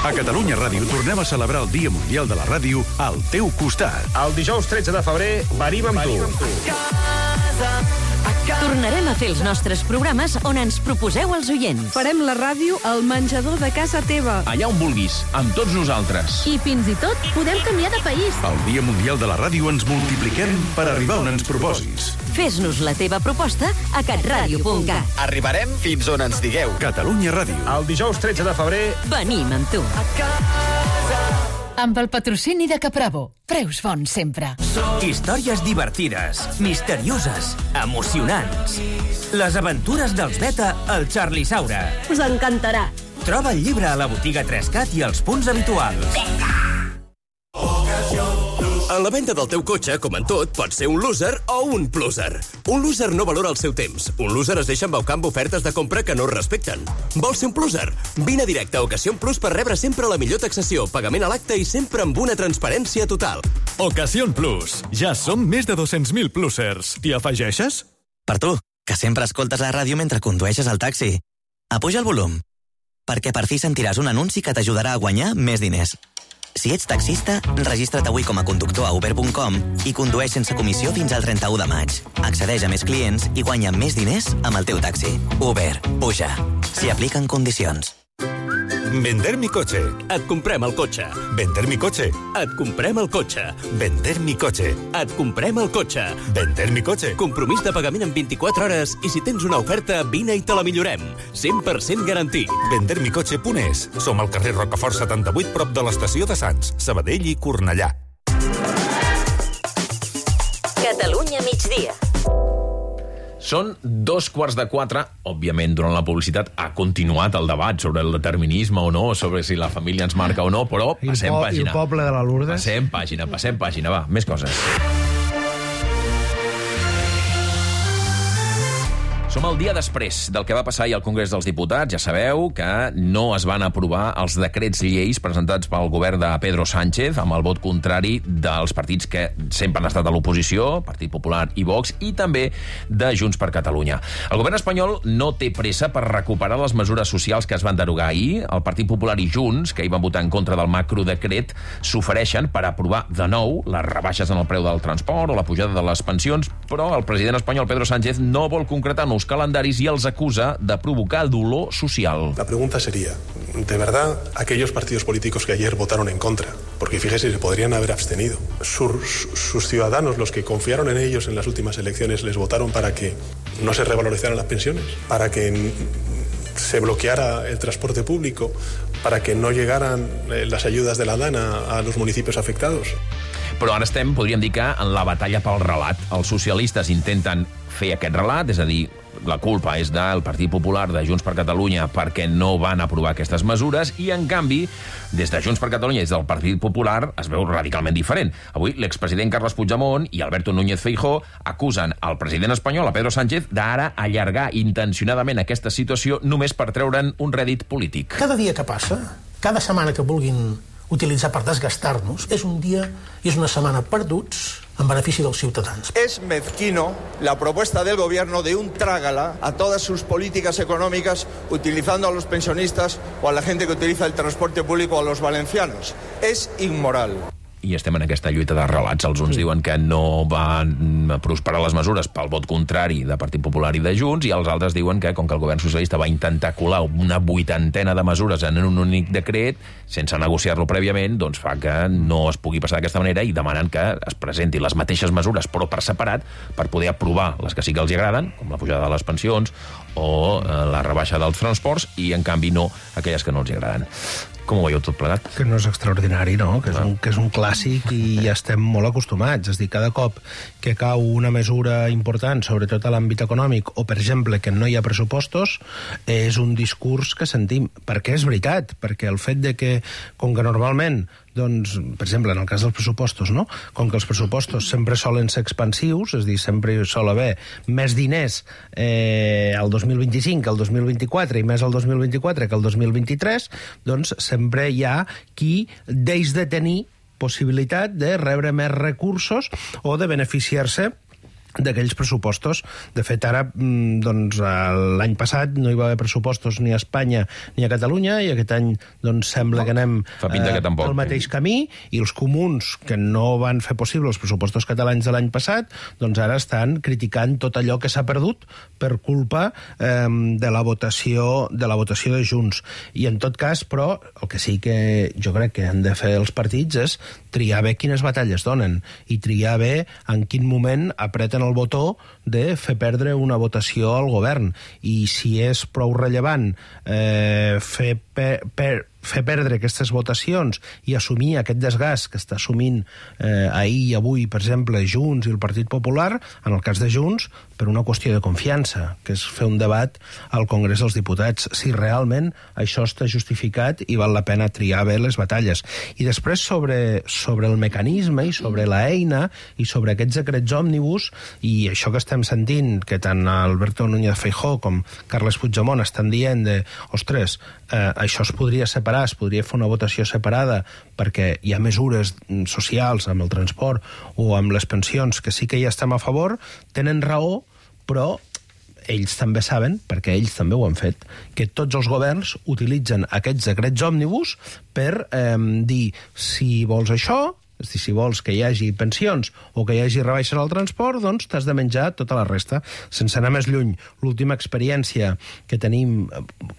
A Catalunya Ràdio tornem a celebrar el Dia Mundial de la Ràdio al teu costat. El dijous 13 de febrer venim amb tu. Tornarem a fer els nostres programes on ens proposeu els oients. Farem la ràdio al menjador de casa teva. Allà on vulguis, amb tots nosaltres. I fins i tot podem canviar de país. Al Dia Mundial de la Ràdio ens multipliquem per arribar on ens proposis. Fes-nos la teva proposta a catradio.cat. Arribarem fins on ens digueu. Catalunya Ràdio. El dijous 13 de febrer venim amb tu. Amb el patrocini de Capravo. Preus bons sempre. Històries divertides, misterioses, emocionants. Les aventures dels Beta al Charlie Saura. Us encantarà. Troba el llibre a la botiga 3CAT i als punts habituals. En la venda del teu cotxe, com en tot, pots ser un loser o un pluser. Un loser no valora el seu temps. Un loser es deixa embaucar amb ofertes de compra que no es respecten. Vols ser un pluser? Vine a directe a Ocasión Plus per rebre sempre la millor taxació, pagament a l'acte i sempre amb una transparència total. Ocasión Plus. Ja som més de 200.000 plusers. T'hi afegeixes? Per tu, que sempre escoltes la ràdio mentre condueixes el taxi. Apuja el volum, perquè per fi sentiràs un anunci que t'ajudarà a guanyar més diners. Si ets taxista, registra't avui com a conductor a uber.com i condueix sense comissió fins al 31 de maig. Accedeix a més clients i guanya més diners amb el teu taxi. Uber. Puja. S'hi apliquen condicions. Vender mi coche. Et comprem el cotxe. Vender mi coche. Et comprem el cotxe. Vender mi coche. Et comprem el cotxe. Vender mi coche. Compromís de pagament en 24 hores i si tens una oferta, vine i te la millorem. 100% garantit. Vendermicoche.es. Som al carrer Rocafort 78, prop de l'estació de Sants, Sabadell i Cornellà. Catalunya migdia. Són 3:15. Òbviament, durant la publicitat ha continuat el debat sobre el determinisme o no, sobre si la família ens marca o no, però passem pàgina. I el poble de la Lourdes. Passem pàgina, va, més coses. Som el dia després del que va passar ahir al Congrés dels Diputats. Ja sabeu que no es van aprovar els decrets lleis presentats pel govern de Pedro Sánchez amb el vot contrari dels partits que sempre han estat a l'oposició, Partit Popular i Vox, i també de Junts per Catalunya. El govern espanyol no té pressa per recuperar les mesures socials que es van derogar ahir. El Partit Popular i Junts, que hi van votar en contra del macrodecret, s'ofereixen per aprovar de nou les rebaixes en el preu del transport o la pujada de les pensions, però el president espanyol Pedro Sánchez no vol concretar nous calendaris i els acusa de provocar dolor social. La pregunta sería, ¿de verdad aquellos partidos políticos que ayer votaron en contra, porque fíjese, se podrían haber abstenido, sus ciudadanos, los que confiaron en ellos en las últimas elecciones, les votaron para que no se revalorizaran las pensiones, para que se bloqueara el transporte público, para que no llegaran las ayudas de la DANA a los municipios afectados? Però ara estem, podríem dir que, en la batalla pel relat. Els socialistes intenten fer aquest relat, és a dir, la culpa és del Partit Popular, de Junts per Catalunya, perquè no van aprovar aquestes mesures, i, en canvi, des de Junts per Catalunya i des del Partit Popular es veu radicalment diferent. Avui, l'expresident Carles Puigdemont i Alberto Núñez Feijóo acusen el president espanyol, a Pedro Sánchez, d'ara allargar intencionadament aquesta situació només per treure'n un rèdit polític. Cada dia que passa, cada setmana que vulguin utilitzar per desgastar-nos, és un dia i és una setmana perduts en benefici dels ciutadans. Es mezquino la propuesta del gobierno de un trágala a todas sus políticas económicas utilizando a los pensionistas o a la gente que utiliza el transporte público o a los valencianos. Es inmoral. I estem en aquesta lluita de relats. Els uns diuen que no van prosperar les mesures pel vot contrari de Partit Popular i de Junts, i els altres diuen que, com que el govern socialista va intentar colar una 80ena de mesures en un únic decret, sense negociar-lo prèviament, doncs fa que no es pugui passar d'aquesta manera, i demanen que es presentin les mateixes mesures, però per separat, per poder aprovar les que sí que els agraden, com la pujada de les pensions o la rebaixa dels transports, i, en canvi, no aquelles que no els agraden. Com ho veieu tot plegat? Que no és extraordinari, no? Que és un clàssic i ja estem molt acostumats. És a dir, cada cop que cau una mesura important, sobretot a l'àmbit econòmic, o, per exemple, que no hi ha pressupostos, és un discurs que sentim. Perquè és veritat, perquè el fet de que, com que normalment, doncs, per exemple, en el cas dels pressupostos, no? Com que els pressupostos sempre solen ser expansius, és a dir, sempre hi sol haver més diners al 2025 que al 2024 i més al 2024 que al 2023, doncs sempre hi ha qui deix de tenir possibilitat de rebre més recursos o de beneficiar-se d'aquells pressupostos. De fet, ara, doncs, l'any passat no hi va haver pressupostos ni a Espanya ni a Catalunya, i aquest any doncs, sembla que anem pel mateix camí, i els comuns, que no van fer possible els pressupostos catalans de l'any passat, doncs ara estan criticant tot allò que s'ha perdut per culpa de la votació de Junts. I en tot cas, però, el que sí que jo crec que han de fer els partits és triar bé quines batalles donen i triar bé en quin moment apreten el botó de fer perdre una votació al govern. I si és prou rellevant fer fer perdre aquestes votacions i assumir aquest desgast que està assumint ahir i avui, per exemple, Junts i el Partit Popular, en el cas de Junts, per una qüestió de confiança, que és fer un debat al Congrés dels Diputats, si realment això està justificat i val la pena triar bé les batalles. I després sobre el mecanisme i sobre la eina i sobre aquests decrets òmnibus i això que estem sentint, que tant Alberto Núñez Feijóo com Carles Puigdemont estan dient de, ostres, això es podria separar, es podria fer una votació separada perquè hi ha mesures socials amb el transport o amb les pensions que sí que hi estem a favor, tenen raó, però ells també saben, perquè ells també ho han fet, que tots els governs utilitzen aquests decrets òmnibus per dir, si vols això, és a dir, si vols que hi hagi pensions o que hi hagi rebaixes al transport, doncs t'has de menjar tota la resta. Sense anar més lluny, l'última experiència que tenim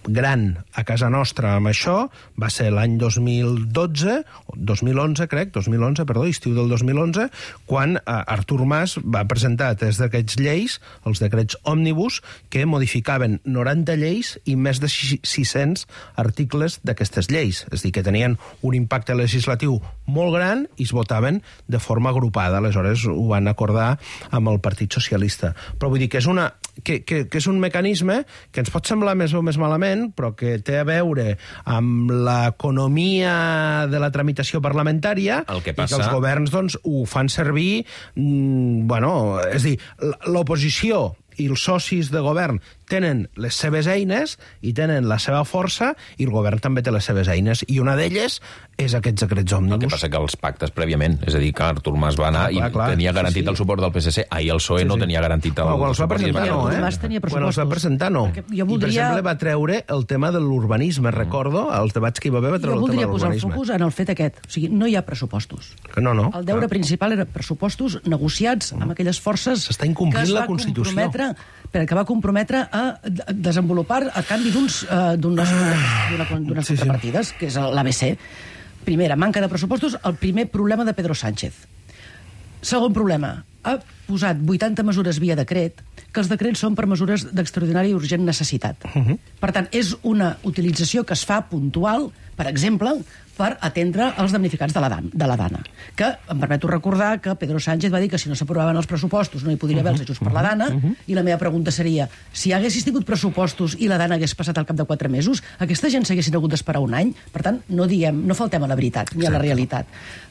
gran a casa nostra amb això va ser l'any 2011, estiu del 2011, quan Artur Mas va presentar des d'aquests lleis, els decrets òmnibus, que modificaven 90 lleis i més de 600 articles d'aquestes lleis. És a dir, que tenien un impacte legislatiu molt gran i es votaven de forma agrupada. Aleshores ho van acordar amb el Partit Socialista. Però vull dir que és un mecanisme que ens pot semblar més o més malament, però que té a veure amb l'economia de la tramitació parlamentària i que els governs doncs, ho fan servir... és a dir, l'oposició i els socis de govern tenen les seves eines i tenen la seva força i el govern també té les seves eines i una d'elles és aquests decrets òmnibus. El que passa que els pactes prèviament, és a dir, que Artur Mas va anar i tenia garantit el suport del PSC. Ahir el PSOE no tenia garantit el suport. Quan els va presentar no. I per exemple va treure el tema de l'urbanisme, recordo, els debats que hi va haver va treure el tema de l'urbanisme. Jo voldria posar el focus en el fet aquest. O sigui, no hi ha pressupostos. No. El deure principal era pressupostos negociats amb aquelles forces s'està incomplint la Constitució. Que va comprometre a desenvolupar a canvi d'unes contrapartides, que és l'ABC. Primera, manca de pressupostos, el primer problema de Pedro Sánchez. Segon problema, ha posat 80 mesures via decret, que els decrets són per mesures d'extraordinària i urgent necessitat. Per tant, és una utilització que es fa puntual, per exemple, per atendre els damnificats de la Dana. Que em permeto recordar que Pedro Sánchez va dir que si no s'aprovaven els pressupostos no hi podria haver els ajuts per la Dana, i la meva pregunta seria, si haguessis tingut pressupostos i la Dana hagués passat al cap de 4 mesos, aquesta gent s'haguessin hagut d'esperar un any? Per tant, no faltem a la veritat ni a la realitat.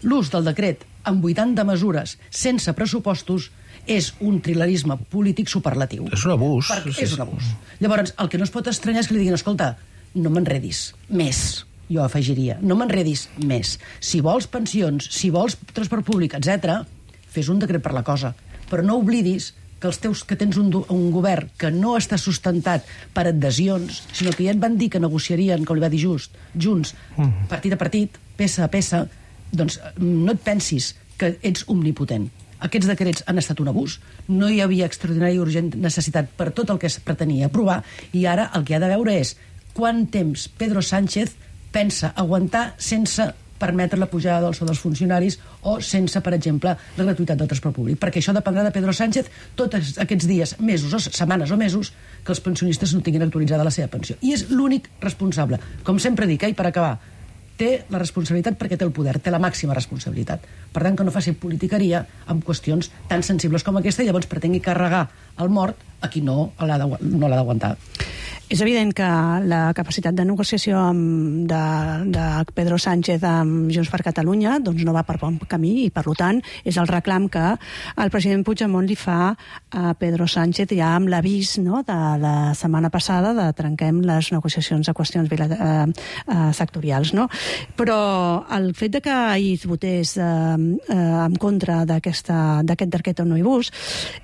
L'ús del decret amb 80 mesures sense pressupostos és un trilerisme polític superlatiu. És un abús. És un abús. Llavors, el que no es pot estranyar és que li diguin, escolta, no m'enredis més. Jo afegiria, no m'enredis més. Si vols pensions, si vols transport públic, etc., fes un decret per la cosa. Però no oblidis que tens un govern que no està sustentat per adhesions, sinó que ja et van dir que negociarien, com li va dir Junts, partit a partit, peça a peça, doncs no et pensis que ets omnipotent. Aquests decrets han estat un abús, no hi havia extraordinària i urgent necessitat per tot el que es pretenia aprovar, i ara el que ha de veure és quant temps Pedro Sánchez pensa aguantar sense permetre la pujada del sou dels funcionaris o sense, per exemple, la gratuïtat del transport públic. Perquè això dependrà de Pedro Sánchez tots aquests dies, mesos, o setmanes o mesos, que els pensionistes no tinguin actualitzada la seva pensió. I és l'únic responsable. Com sempre dic, i per acabar, té la responsabilitat perquè té el poder, té la màxima responsabilitat. Per tant, que no faci politiqueria amb qüestions tan sensibles com aquesta i llavors pretengui carregar el mort a qui no l'ha d'aguantar. És evident que la capacitat de negociació de Pedro Sánchez amb Junts per Catalunya doncs no va per bon camí i, per tant, és el reclam que el president Puigdemont li fa a Pedro Sánchez ja amb l'avís de la setmana passada de trenquem les negociacions a qüestions sectorials. Però el fet que ahir es votés en contra d'aquest decret omnibus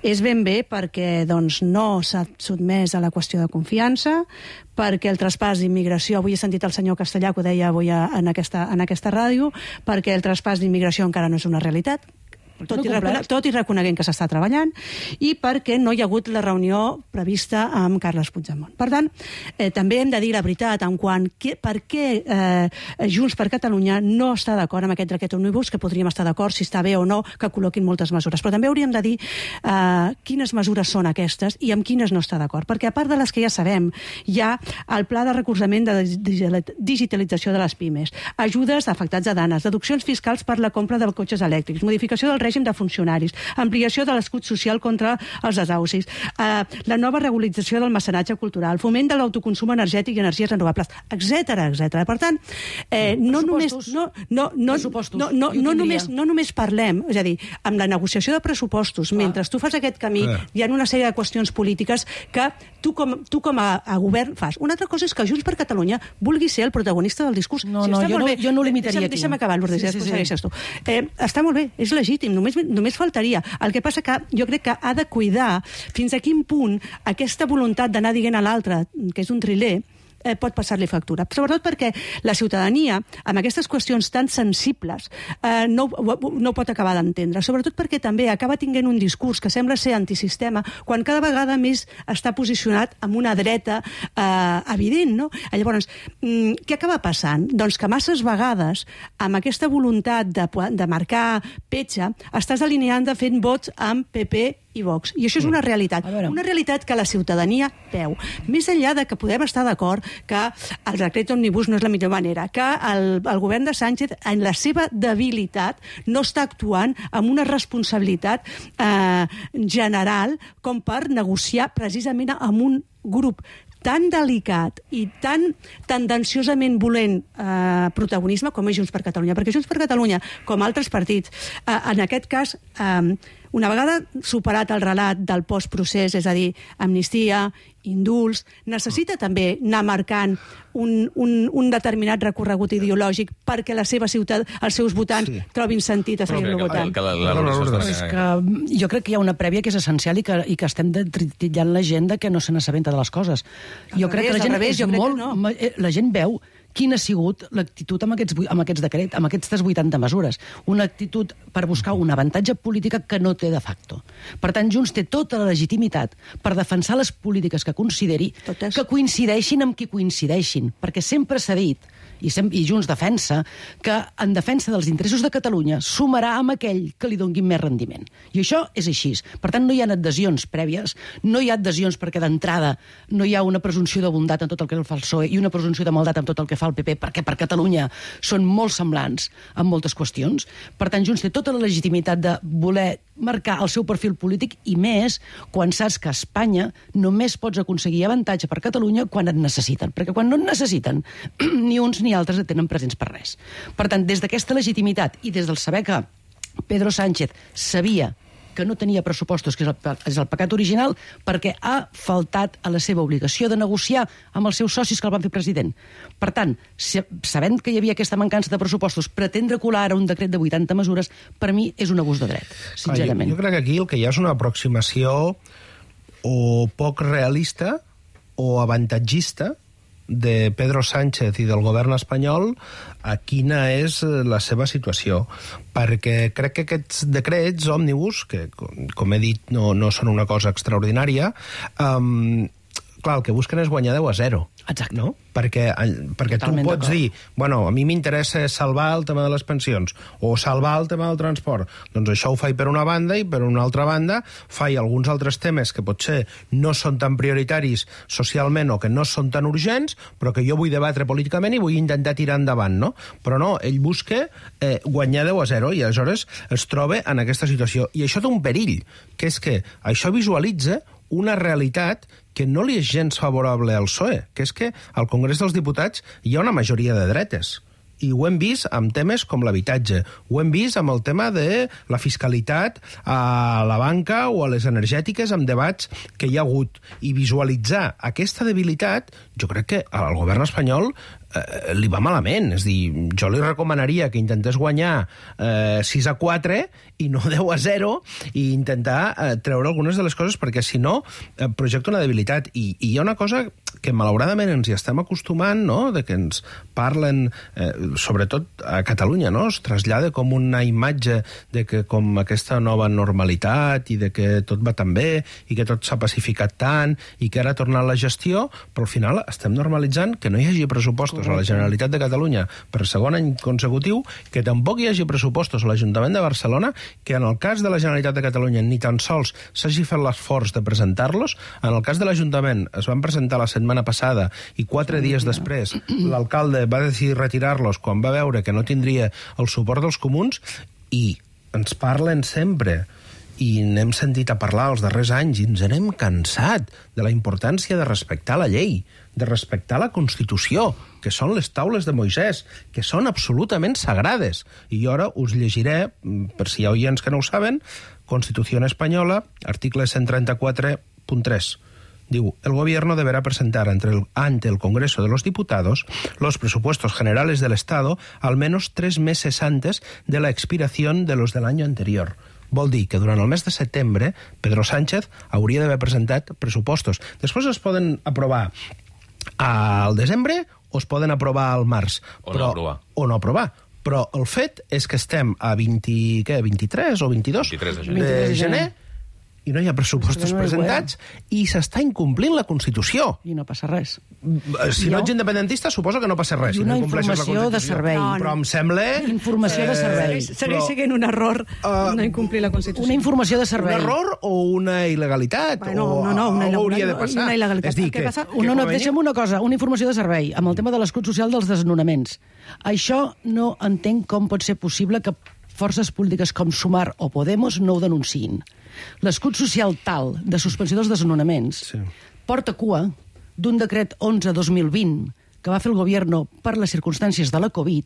és ben bé perquè no s'ha sotmès a la qüestió de confiança, perquè el traspàs d'immigració, avui he sentit el senyor Castellà que ho deia avui en aquesta ràdio, perquè el traspàs d'immigració encara no és una realitat, tot i reconeguent que s'està treballant, i perquè no hi ha hagut la reunió prevista amb Carles Puigdemont. Per tant, també hem de dir la veritat en quant per què Junts per Catalunya no està d'acord amb aquest decret òmnibus, que podríem estar d'acord si està bé o no que col·loquin moltes mesures, però també hauríem de dir quines mesures són aquestes i amb quines no està d'acord, perquè a part de les que ja sabem, hi ha el pla de recolzament de digitalització de les pimes, ajudes d'afectats a danes, deduccions fiscals per la compra de cotxes elèctrics, modificació del règim de funcionaris, ampliació de l'escut social contra els desaucis, la nova regularització del mecenatge cultural, foment de l'autoconsum energètic i energies renovables, etc. Per tant, no només parlem, és a dir, amb la negociació de pressupostos, mentre tu fas aquest camí, hi ha una sèrie de qüestions polítiques que tu com a govern fas. Una altra cosa és que Junts per Catalunya vulgui ser el protagonista del discurs. Jo no limitaria aquí. Deixa'm acabar, Lourdes, després segueixes tu. Està molt bé, és legítim, només faltaria. El que passa que jo crec que ha de cuidar fins a quin punt aquesta voluntat d'anar dient a l'altre que és un triler pot passar-li factura. Sobretot perquè la ciutadania, amb aquestes qüestions tan sensibles, no pot acabar d'entendre. Sobretot perquè també acaba tinguent un discurs que sembla ser antisistema, quan cada vegada més està posicionat amb una dreta evident, no? Llavors, què acaba passant? Doncs que masses vegades, amb aquesta voluntat de marcar petja, estàs alineant de fent vots amb PP i Vox. I això és una realitat. Una realitat que la ciutadania veu. Més enllà de que podem estar d'acord que el decret òmnibus no és la millor manera, que el govern de Sánchez, en la seva debilitat, no està actuant amb una responsabilitat general com per negociar precisament amb un grup tan delicat i tan tendenciosament volent protagonisme com és Junts per Catalunya. Perquè Junts per Catalunya, com altres partits, en aquest cas, una vegada superat el relat del postprocés, és a dir, amnistia, indults, necessita també anar marcant un determinat recorregut ideològic perquè la seva ciutat, els seus votants trobin sentit a seguir-lo votant. Jo crec que hi ha una prèvia que és essencial i que estem tritillant la gent que no se n'assabenta de les coses. Jo crec que la gent veu quina ha sigut l'actitud amb aquests decrets, amb aquestes 80 mesures. Una actitud per buscar un avantatge polític que no té de facto. Per tant, Junts té tota la legitimitat per defensar les polítiques que consideri que coincideixin amb qui coincideixin, perquè sempre s'ha dit i Junts defensa que en defensa dels interessos de Catalunya sumarà amb aquell que li doni més rendiment. I això és així. Per tant, no hi ha adhesions prèvies, no hi ha adhesions perquè d'entrada no hi ha una presumpció de bondat en tot el que fa el PSOE i una presumpció de maldat en tot el que fa el PP, perquè per Catalunya són molt semblants en moltes qüestions. Per tant, Junts té tota la legitimitat de voler marcar el seu perfil polític i més quan saps que a Espanya només pots aconseguir avantatge per Catalunya quan et necessiten, perquè quan no et necessiten ni uns ni altres et tenen presents per res. Per tant, des d'aquesta legitimitat i des del saber que Pedro Sánchez sabia que no tenia pressupostos, que és el pecat original, perquè ha faltat a la seva obligació de negociar amb els seus socis que el van fer president. Per tant, sabent que hi havia aquesta mancança de pressupostos, pretendre colar ara un decret de 80 mesures, per mi és un abús de dret, sincerament. Jo crec que aquí el que hi ha és una aproximació o poc realista o avantatgista de Pedro Sánchez i del govern espanyol a quina és la seva situació. Perquè crec que aquests decrets òmnibus, que com he dit no són una cosa extraordinària, clar, el que busquen és guanyar 10-0. Exacte. No? Perquè tu pots dir, bueno, a mi m'interessa salvar el tema de les pensions o salvar el tema del transport. Doncs això ho faig per una banda i per una altra banda faig alguns altres temes que potser no són tan prioritaris socialment o que no són tan urgents, però que jo vull debatre políticament i vull intentar tirar endavant, no? Però no, ell busca guanyar 10-0 i aleshores es troba en aquesta situació. I això té un perill, que és que això visualitza una realitat que no li és gens favorable al PSOE, que és que al Congrés dels Diputats hi ha una majoria de dretes. I ho hem vist amb temes com l'habitatge, ho hem vist amb el tema de la fiscalitat a la banca o a les energètiques, amb debats que hi ha hagut. I visualitzar aquesta debilitat, jo crec que al govern espanyol li va malament. És dir, jo li recomanaria que intentés guanyar 6-4 i no 10-0 i intentar treure algunes de les coses, perquè si no projecta una debilitat. I hi ha una cosa que malauradament ens hi estem acostumant, no?, de que ens parlen, sobretot a Catalunya, no?, es trasllada com una imatge de que com aquesta nova normalitat i de que tot va tan bé i que tot s'ha pacificat tant i que ara ha tornat la gestió, però al final estem normalitzant que no hi hagi pressupostos a la Generalitat de Catalunya per segon any consecutiu, que tampoc hi hagi pressupostos a l'Ajuntament de Barcelona, que en el cas de la Generalitat de Catalunya ni tan sols s'hagi fet l'esforç de presentar-los. En el cas de l'Ajuntament es van presentar la setmana passada i 4 dies després l'alcalde va decidir retirar-los quan va veure que no tindria el suport dels comuns, i ens parlen sempre i n'hem sentit a parlar els darrers anys i ens n'hem cansat de la importància de respectar la llei, de respectar la Constitució, que són les taules de Moisès, que són absolutament sagrades. I jo ara us llegiré, per si hi ha oients que no ho saben, Constitució Espanyola, article 134.3. Diu, el gobierno deberá presentar ante el Congreso de los Diputados los presupuestos generales del Estado al menos 3 meses antes de la expiración de los del año anterior. Vol dir que durant el mes de setembre Pedro Sánchez hauria d'haver presentat pressupostos. Després es poden aprovar al desembre o es poden aprovar al març. O no aprovar. Però el fet és que estem a 23 o 22 de gener i no hi ha pressupostos presentats i s'està incomplint la Constitució. I no passa res. Si no ets independentista, suposo que no passa res. I una informació de servei. Però em sembla... Informació de servei. Segueix sent un error no incomplir la Constitució. Una informació de servei. Un error o una il·legalitat? No, una hauria de passar. Una il·legalitat. És dir, què passa? Deixa'm una cosa, una informació de servei, amb el tema de l'escut social dels desnonaments. Això no entenc com pot ser possible que forces polítiques com Sumar o Podemos no ho denunciïn. L'escut social tal de suspensió dels desnonaments porta cua d'un decret 11-2020 que va fer el govern per les circumstàncies de la Covid,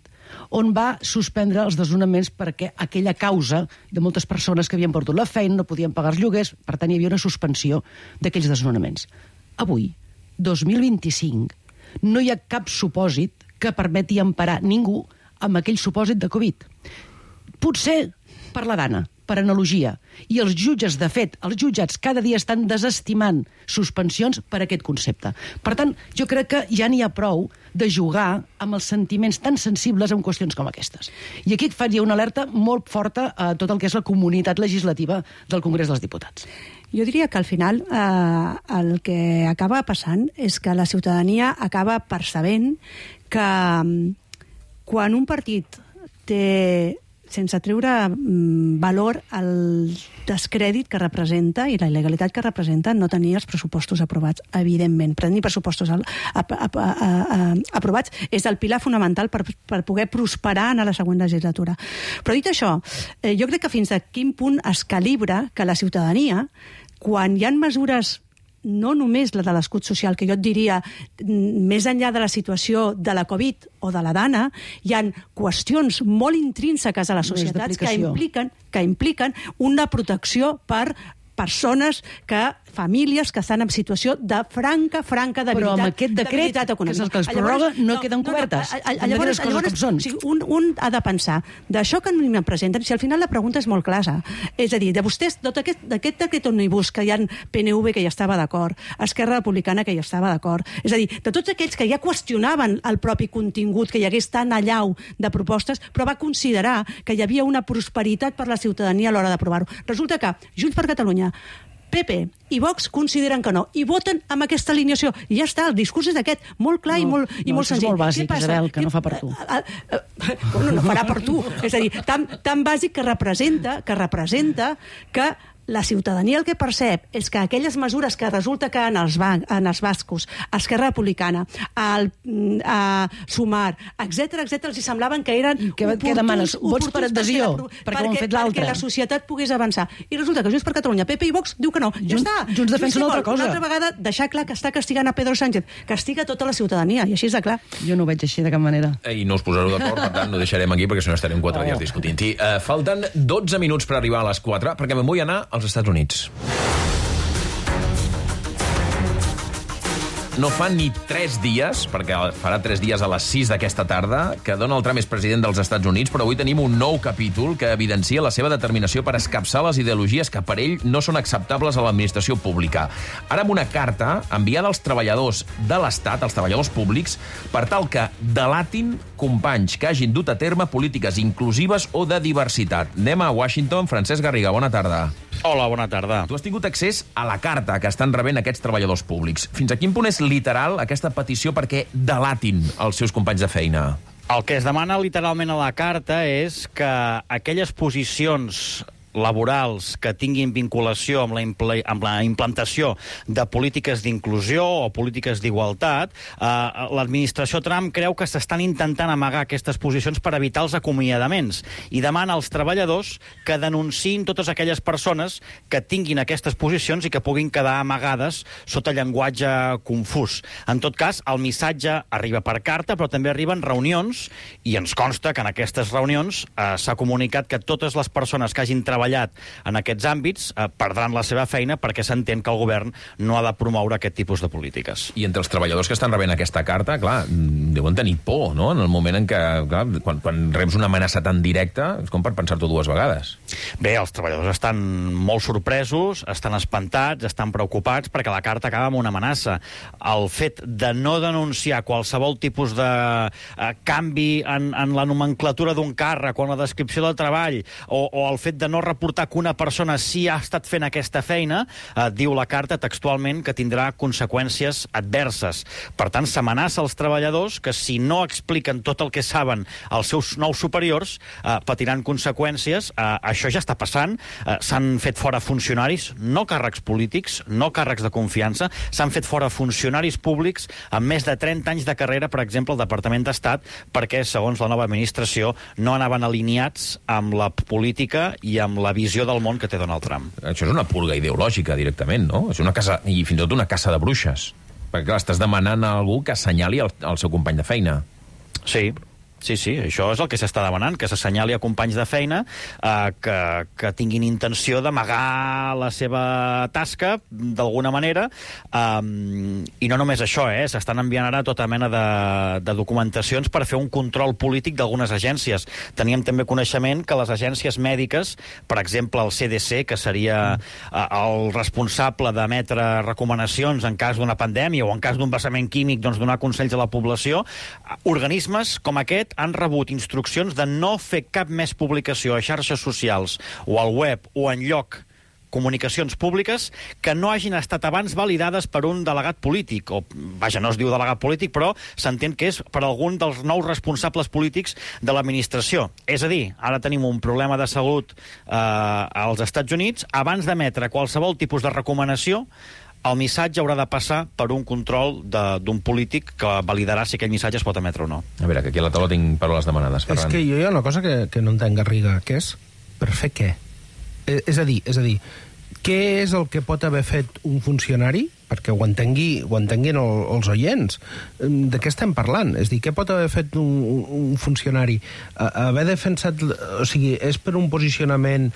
on va suspendre els desnonaments perquè aquella causa de moltes persones que havien perdut la feina, no podien pagar els lloguers, per tant hi havia una suspensió d'aquells desnonaments. Avui, 2025, no hi ha cap supòsit que permeti emparar ningú amb aquell supòsit de Covid. Potser per la dana, per analogia. I els jutges, de fet, els jutjats cada dia estan desestimant suspensions per aquest concepte. Per tant, jo crec que ja n'hi ha prou de jugar amb els sentiments tan sensibles en qüestions com aquestes. I aquí faria una alerta molt forta a tot el que és la comunitat legislativa del Congrés dels Diputats. Jo diria que al final el que acaba passant és que la ciutadania acaba percebent que quan un partit té, sense treure valor al descrèdit que representa i la il·legalitat que representa no tenir els pressupostos aprovats, evidentment. Tenir pressupostos aprovats és el pilar fonamental per poder prosperar en la següent legislatura. Però dit això, jo crec que fins a quin punt es calibra que la ciutadania, quan hi ha mesures no només la de l'escut social, que jo et diria, més enllà de la situació de la Covid o de la dana, hi ha qüestions molt intrínseques a la societat que impliquen una protecció per persones, famílies que estan en situació de franca debilitat. Però amb aquest decret, que és el que es prorroga, no queden cobertes. Llavors, un ha de pensar, d'això que em presenten, si al final la pregunta és molt clara, és a dir, de vostès, d'aquest decret omnibus, que hi ha PNV que hi estava d'acord, Esquerra Republicana que hi estava d'acord, és a dir, de tots aquells que ja qüestionaven el propi contingut, que hi hagués tan allau de propostes, però va considerar que hi havia una prosperitat per la ciutadania a l'hora d'aprovar-ho. Resulta que Junts per Catalunya, PP i Vox consideren que no, i voten amb aquesta alineació. I ja està, el discurs és aquest, molt clar i molt senzill. És molt bàsic, Isabel, que no fa per tu. No farà per tu. És a dir, tan bàsic que representa que la ciutadania el que percep és que aquelles mesures que resulta que en els bascos, Esquerra Republicana, Sumar, etc., els semblaven que eren què demanes? Vots per adhesió, perquè ho han fet l'altre. Perquè la societat pogués avançar. I resulta que Junts per Catalunya, PP i Vox diu que no. Ja està. Junts defensa una altra cosa. Una altra vegada deixar clar que està castigant a Pedro Sánchez. Castiga tota la ciutadania, i així és de clar. Jo no ho veig així de cap manera. I no us posareu d'acord, per tant, no deixarem aquí, perquè si no estarem 4 dies discutint-hi. Falten 12 minuts per arribar a les 4, perquè me'n vull anar als Estats Units. No fa ni 3 dies, perquè farà 3 dies a les 6 d'aquesta tarda, que Donald Trump és president dels Estats Units, però avui tenim un nou capítol que evidencia la seva determinació per escapçar les ideologies que per ell no són acceptables a l'administració pública. Ara amb una carta enviada als treballadors de l'Estat, als treballadors públics, per tal que delatin companys que hagin dut a terme polítiques inclusives o de diversitat. Anem a Washington. Francesc Garriga, bona tarda. Hola, bona tarda. Tu has tingut accés a la carta que estan rebent aquests treballadors públics. Fins a quin punt és literal aquesta petició perquè delatin els seus companys de feina? El que es demana literalment a la carta és que aquelles posicions laborals que tinguin vinculació amb la implantació de polítiques d'inclusió o polítiques d'igualtat, l'administració Trump creu que s'estan intentant amagar aquestes posicions per evitar els acomiadaments i demana als treballadors que denunciïn totes aquelles persones que tinguin aquestes posicions i que puguin quedar amagades sota llenguatge confús. En tot cas, el missatge arriba per carta, però també arriben reunions i ens consta que en aquestes reunions s'ha comunicat que totes les persones que hagin treballat en aquests àmbits perdran la seva feina perquè s'entén que el govern no ha de promoure aquest tipus de polítiques. I entre els treballadors que estan rebent aquesta carta, clar, deuen tenir por, no?, en el moment en què, clar, quan reps una amenaça tan directa, és com per pensar-t'ho 2 vegades. Bé, els treballadors estan molt sorpresos, estan espantats, estan preocupats perquè la carta acaba amb una amenaça. El fet de no denunciar qualsevol tipus de canvi en la nomenclatura d'un càrrec o en la descripció del treball o el fet de no reportar que una persona sí ha estat fent aquesta feina, diu la carta textualment que tindrà conseqüències adverses. Per tant, s'amenaça als treballadors que si no expliquen tot el que saben als seus nous superiors, patiran conseqüències. Això ja està passant. S'han fet fora funcionaris, no càrrecs polítics, no càrrecs de confiança, s'han fet fora funcionaris públics amb més de 30 anys de carrera, per exemple, al Departament d'Estat, perquè, segons la nova administració, no anaven alineats amb la política i amb la visió del món que té Donald Trump. Això és una purga ideològica, directament, no? És una casa, i fins i tot una caça de bruixes. Perquè, clar, estàs demanant a algú que assenyali el seu company de feina. Sí, això és el que s'està demanant, que s'assenyali a companys de feina que tinguin intenció d'amagar la seva tasca d'alguna manera, i no només això, s'estan enviant ara tota mena de documentacions per fer un control polític d'algunes agències. Teníem també coneixement que les agències mèdiques, per exemple el CDC, que seria el responsable d'emetre recomanacions en cas d'una pandèmia o en cas d'un vessament químic, doncs donar consells a la població, organismes com aquest han rebut instruccions de no fer cap més publicació a xarxes socials o al web o enlloc comunicacions públiques que no hagin estat abans validades per un delegat polític, o, vaja, no es diu delegat polític, però s'entén que és per algun dels nous responsables polítics de l'administració. És a dir, ara tenim un problema de salut als Estats Units, abans d'emetre qualsevol tipus de recomanació, el missatge haurà de passar per un control d'un polític que validarà si aquell missatge es pot emetre o no. A veure, que aquí a la taula tinc paraules demanades, Ferran. És que jo hi ha una cosa que no entenc, Garriga, que és per fer què? És a dir, què és el que pot haver fet un funcionari, perquè ho entenguin els oients? De què estem parlant? És a dir, què pot haver fet un funcionari? Haver defensat... O sigui, és per un posicionament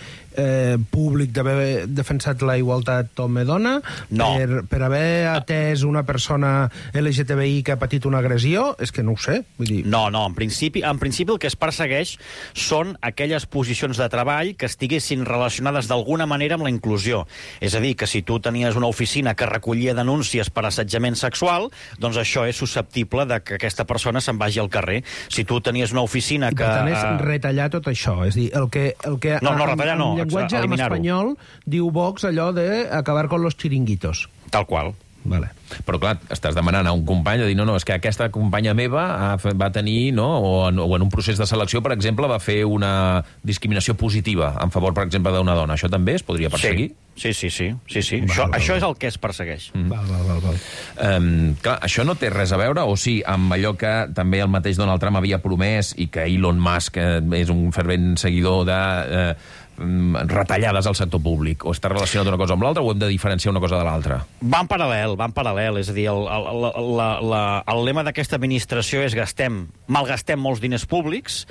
públic d'haver defensat la igualtat home-dona? No. Per haver atès una persona LGTBI que ha patit una agressió? És que no ho sé. Vull dir... No, en principi el que es persegueix són aquelles posicions de treball que estiguessin relacionades d'alguna manera amb la inclusió. És a dir, que si tu tenies una oficina que recollia denúncies per assetjament sexual, doncs això és susceptible de que aquesta persona se'n vagi al carrer. Si tu tenies una oficina que... Per tant, és retallar tot això. És a dir, el que no, retallar no. En llenguatge en espanyol diu Vox allò de acabar con los chiringuitos. Tal qual. Vale. Però clar, estàs demanant a un company de dir, no, és que aquesta companya meva va tenir, no, o en un procés de selecció, per exemple, va fer una discriminació positiva en favor, per exemple, d'una dona. Això també es podria perseguir? Sí. Això és el que es persegueix. Val. Clar, això no té res a veure, o sí, amb allò que també el mateix Donald Trump havia promès i que Elon Musk és un fervent seguidor de retallades al sector públic? O està relacionat una cosa amb l'altra o hem de diferenciar una cosa de l'altra? Va en paral·lel. És a dir, el lema d'aquesta administració és malgastem molts diners públics,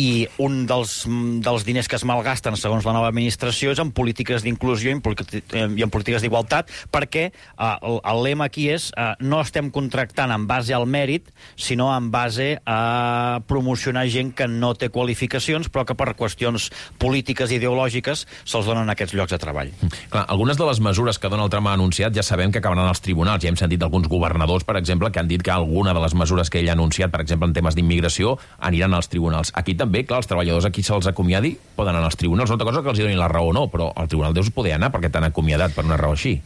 i un dels diners que es malgasten, segons la nova administració, és en polítiques d'inclusió i en polítiques d'igualtat, perquè el lema aquí és no estem contractant en base al mèrit, sinó en base a promocionar gent que no té qualificacions, però que per qüestions polítiques i ideològiques se'ls donen aquests llocs de treball. Clar, algunes de les mesures que Donald Trump ha anunciat ja sabem que acabaran als tribunals. Ja hem sentit d'alguns governadors, per exemple, que han dit que alguna de les mesures que ell ha anunciat, per exemple, en temes d'immigració, aniran als tribunals. Aquí també, clar, els treballadors aquí se'ls acomiadi, poden anar als tribunals. Una cosa que els donin la raó o no, però al tribunal deus poder anar perquè t'han acomiadat per una raó així.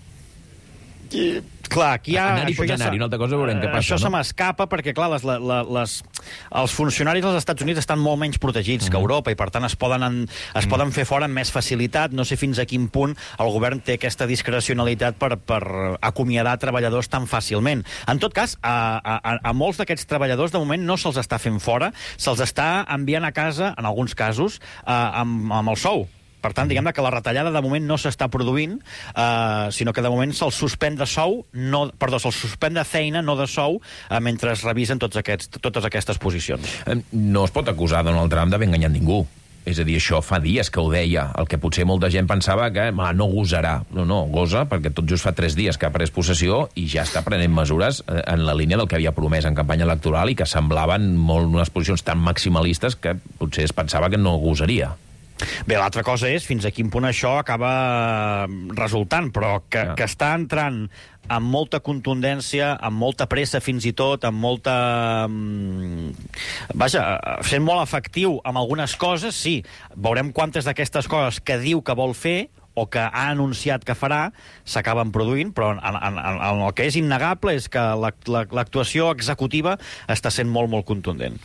Clar, aquí hi ha... Anar-hi pots anar-hi, una altra cosa veurem què passa. Això se m'escapa perquè, clar, els funcionaris dels Estats Units estan molt menys protegits que Europa i, per tant, es poden fer fora amb més facilitat. No sé fins a quin punt el govern té aquesta discrecionalitat per acomiadar treballadors tan fàcilment. En tot cas, a molts d'aquests treballadors, de moment, no se'ls està fent fora, se'ls està enviant a casa, en alguns casos, amb el sou. Per tant, diguem-ne que la retallada de moment no s'està produint, sinó que de moment se'ls suspèn de sou, se'ls suspèn de feina, no de sou, mentre es revisen totes aquestes posicions. No es pot acusar Donald Trump d'haver enganyat ningú. És a dir, això fa dies que ho deia, el que potser molta gent pensava que no gosarà. No, gosa, perquè tot just fa 3 dies que ha pres possessió i ja està prenent mesures en la línia del que havia promès en campanya electoral i que semblaven molt unes posicions tan maximalistes que potser es pensava que no gosaria. Bé, l'altra cosa és fins a quin punt això acaba resultant, però que està entrant amb molta contundència, amb molta pressa fins i tot, amb molta... sent molt efectiu amb algunes coses, sí. Veurem quantes d'aquestes coses que diu que vol fer o que ha anunciat que farà s'acaben produint, però el que és innegable és que l'actuació executiva està sent molt, molt contundent.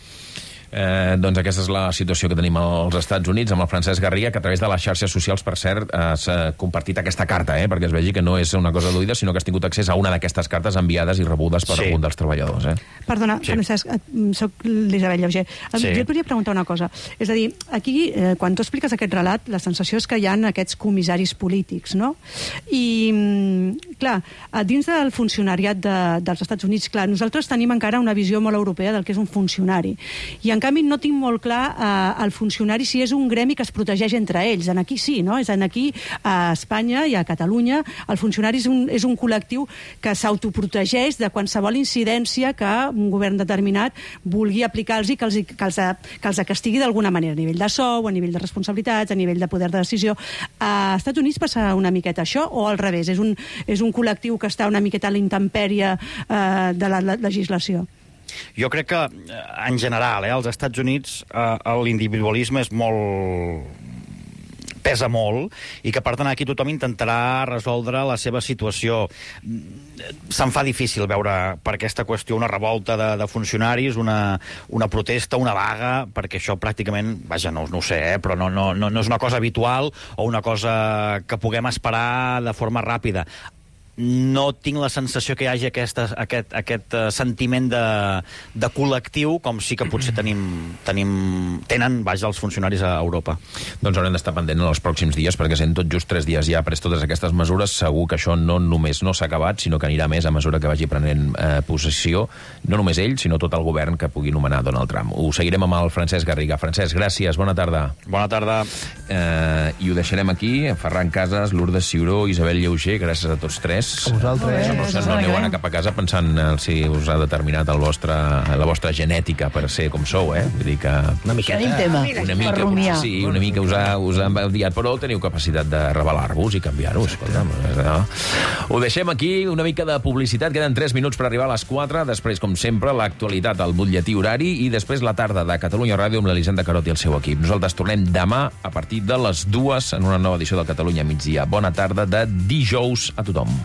Doncs aquesta és la situació que tenim als Estats Units amb el Francesc Garriga, que a través de les xarxes socials, per cert, s'ha compartit aquesta carta, perquè es vegi que no és una cosa d'oïda, sinó que has tingut accés a una d'aquestes cartes enviades i rebudes per algun dels treballadors. Perdona, Francesc, soc l'Isabel Lleuger. Jo et podria preguntar una cosa. És a dir, aquí, quan tu expliques aquest relat, la sensació és que hi ha aquests comissaris polítics, no? I, clar, dins del funcionariat dels Estats Units, clar, nosaltres tenim encara una visió molt europea del que és un funcionari. I en canvi no tinc molt clar el funcionari si és un gremi que es protegeix entre ells. En aquí sí, no? És en aquí, a Espanya i a Catalunya, el funcionari és un col·lectiu que s'autoprotegeix de qualsevol incidència que un govern determinat vulgui aplicar-los i que els castigui d'alguna manera, a nivell de sou, a nivell de responsabilitats, a nivell de poder de decisió. A Estats Units passa una miqueta això, o al revés? És un col·lectiu que està una miqueta a la intempèrie de la legislació? Jo crec que, en general, als Estats Units l'individualisme és pesa molt i que, per tant, aquí tothom intentarà resoldre la seva situació. Se'n fa difícil veure per aquesta qüestió una revolta de funcionaris, una protesta, una vaga, perquè això pràcticament, no ho sé, però no és una cosa habitual o una cosa que puguem esperar de forma ràpida. No tinc la sensació que hi hagi aquest sentiment de col·lectiu, com sí que potser tenen els funcionaris a Europa. Doncs haurem d'estar pendent en els pròxims dies, perquè sent tot just 3 dies ja ha pres totes aquestes mesures, segur que això no només no s'ha acabat, sinó que anirà més a mesura que vagi prenent possessió, no només ell, sinó tot el govern que pugui nomenar Donald Trump. Ho seguirem amb el Francesc Garriga. Francesc, gràcies, bona tarda. Bona tarda. I ho deixarem aquí. Ferran Casas, Lourdes Ciuró, Isabel Lleuger, gràcies a tots 3. A vosaltres. No aneu a anar cap a casa pensant si us ha determinat la vostra genètica per ser com sou, Vull dir que... Una miqueta. Una mica us ha enviat, però teniu capacitat de rebel·lar-vos i canviar-vos. Ho deixem aquí, una mica de publicitat. Queden 3 minuts per arribar a les 4. Després, com sempre, l'actualitat al butlletí horari i després la tarda de Catalunya Ràdio amb l'Elisenda Carot i el seu equip. Nosaltres tornem demà a partir de les 2 en una nova edició del Catalunya Migdia. Bona tarda de dijous a tothom.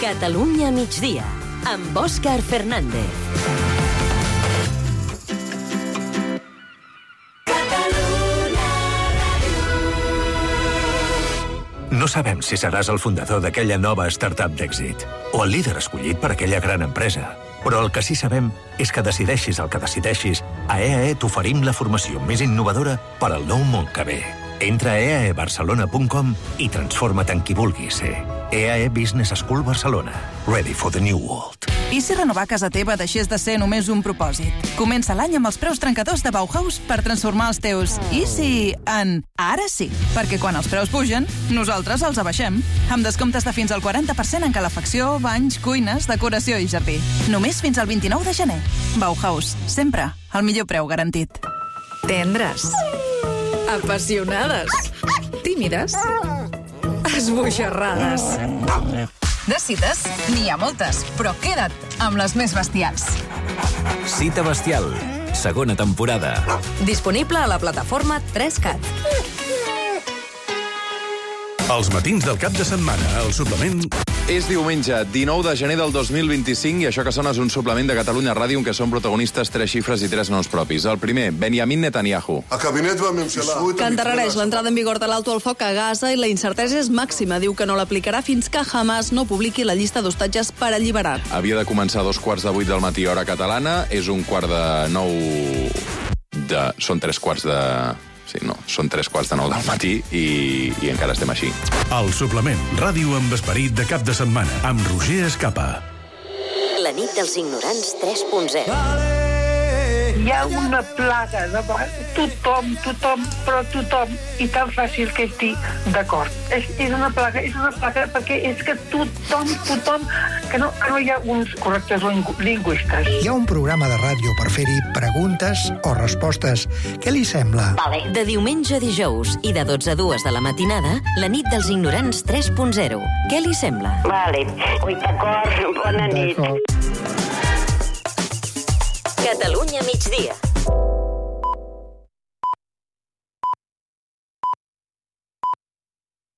Catalunya migdia, amb Òscar Fernández. No sabem si seràs el fundador d'aquella nova startup d'èxit o el líder escollit per aquella gran empresa. Però el que sí sabem és que decideixis el que decideixis, a EAE t'oferim la formació més innovadora per al nou món que ve. Entra a eaebarcelona.com i transforma't en qui vulguis ser. EAE Business School Barcelona. Ready for the new world. I si renovar casa teva deixés de ser només un propòsit? Comença l'any amb els preus trencadors de Bauhaus per transformar els teus i si en ara sí. Perquè quan els preus pugen, nosaltres els abaixem. Amb descomptes de fins al 40% en calefacció, banys, cuines, decoració i jardí. Només fins al 29 de gener. Bauhaus. Sempre el millor preu garantit. Tendres. Apassionades. Tímides. Esbojarrades. De cites, n'hi ha moltes, però queda't amb les més bestials. Cita bestial, segona temporada. Disponible a la plataforma 3CAT. Els matins del cap de setmana, el suplement... És diumenge, 19 de gener del 2025, i això que sona és un suplement de Catalunya Ràdio en què són protagonistes 3 xifres i 3 noms propis. El primer, Benjamin Netanyahu. Que endarrereix l'entrada en vigor de l'alto al foc a Gaza i la incertesa és màxima. Diu que no l'aplicarà fins que Hamas no publiqui la llista d'hostatges per alliberar. Havia de començar a 7:45 del matí, hora catalana. És 8:45 de... Són 3:15 de... Sí, no, són 3:15 del matí i encara estem així. El suplement, ràdio amb esperit de cap de setmana, amb Roger Escapa. La nit dels ignorants 3.0. Hi ha una plaga de tothom, però tothom, i tan fàcil que és dir d'acord. És una plaga perquè és que tothom, que no hi ha uns correctors lingüistes. Hi ha un programa de ràdio per fer-hi preguntes o respostes. Què li sembla? Vale. De diumenge a dijous i de 12 a 2 de la matinada, la nit dels ignorants 3.0. Què li sembla? Vale. Ui, d'acord, bona nit. Catalunya migdia.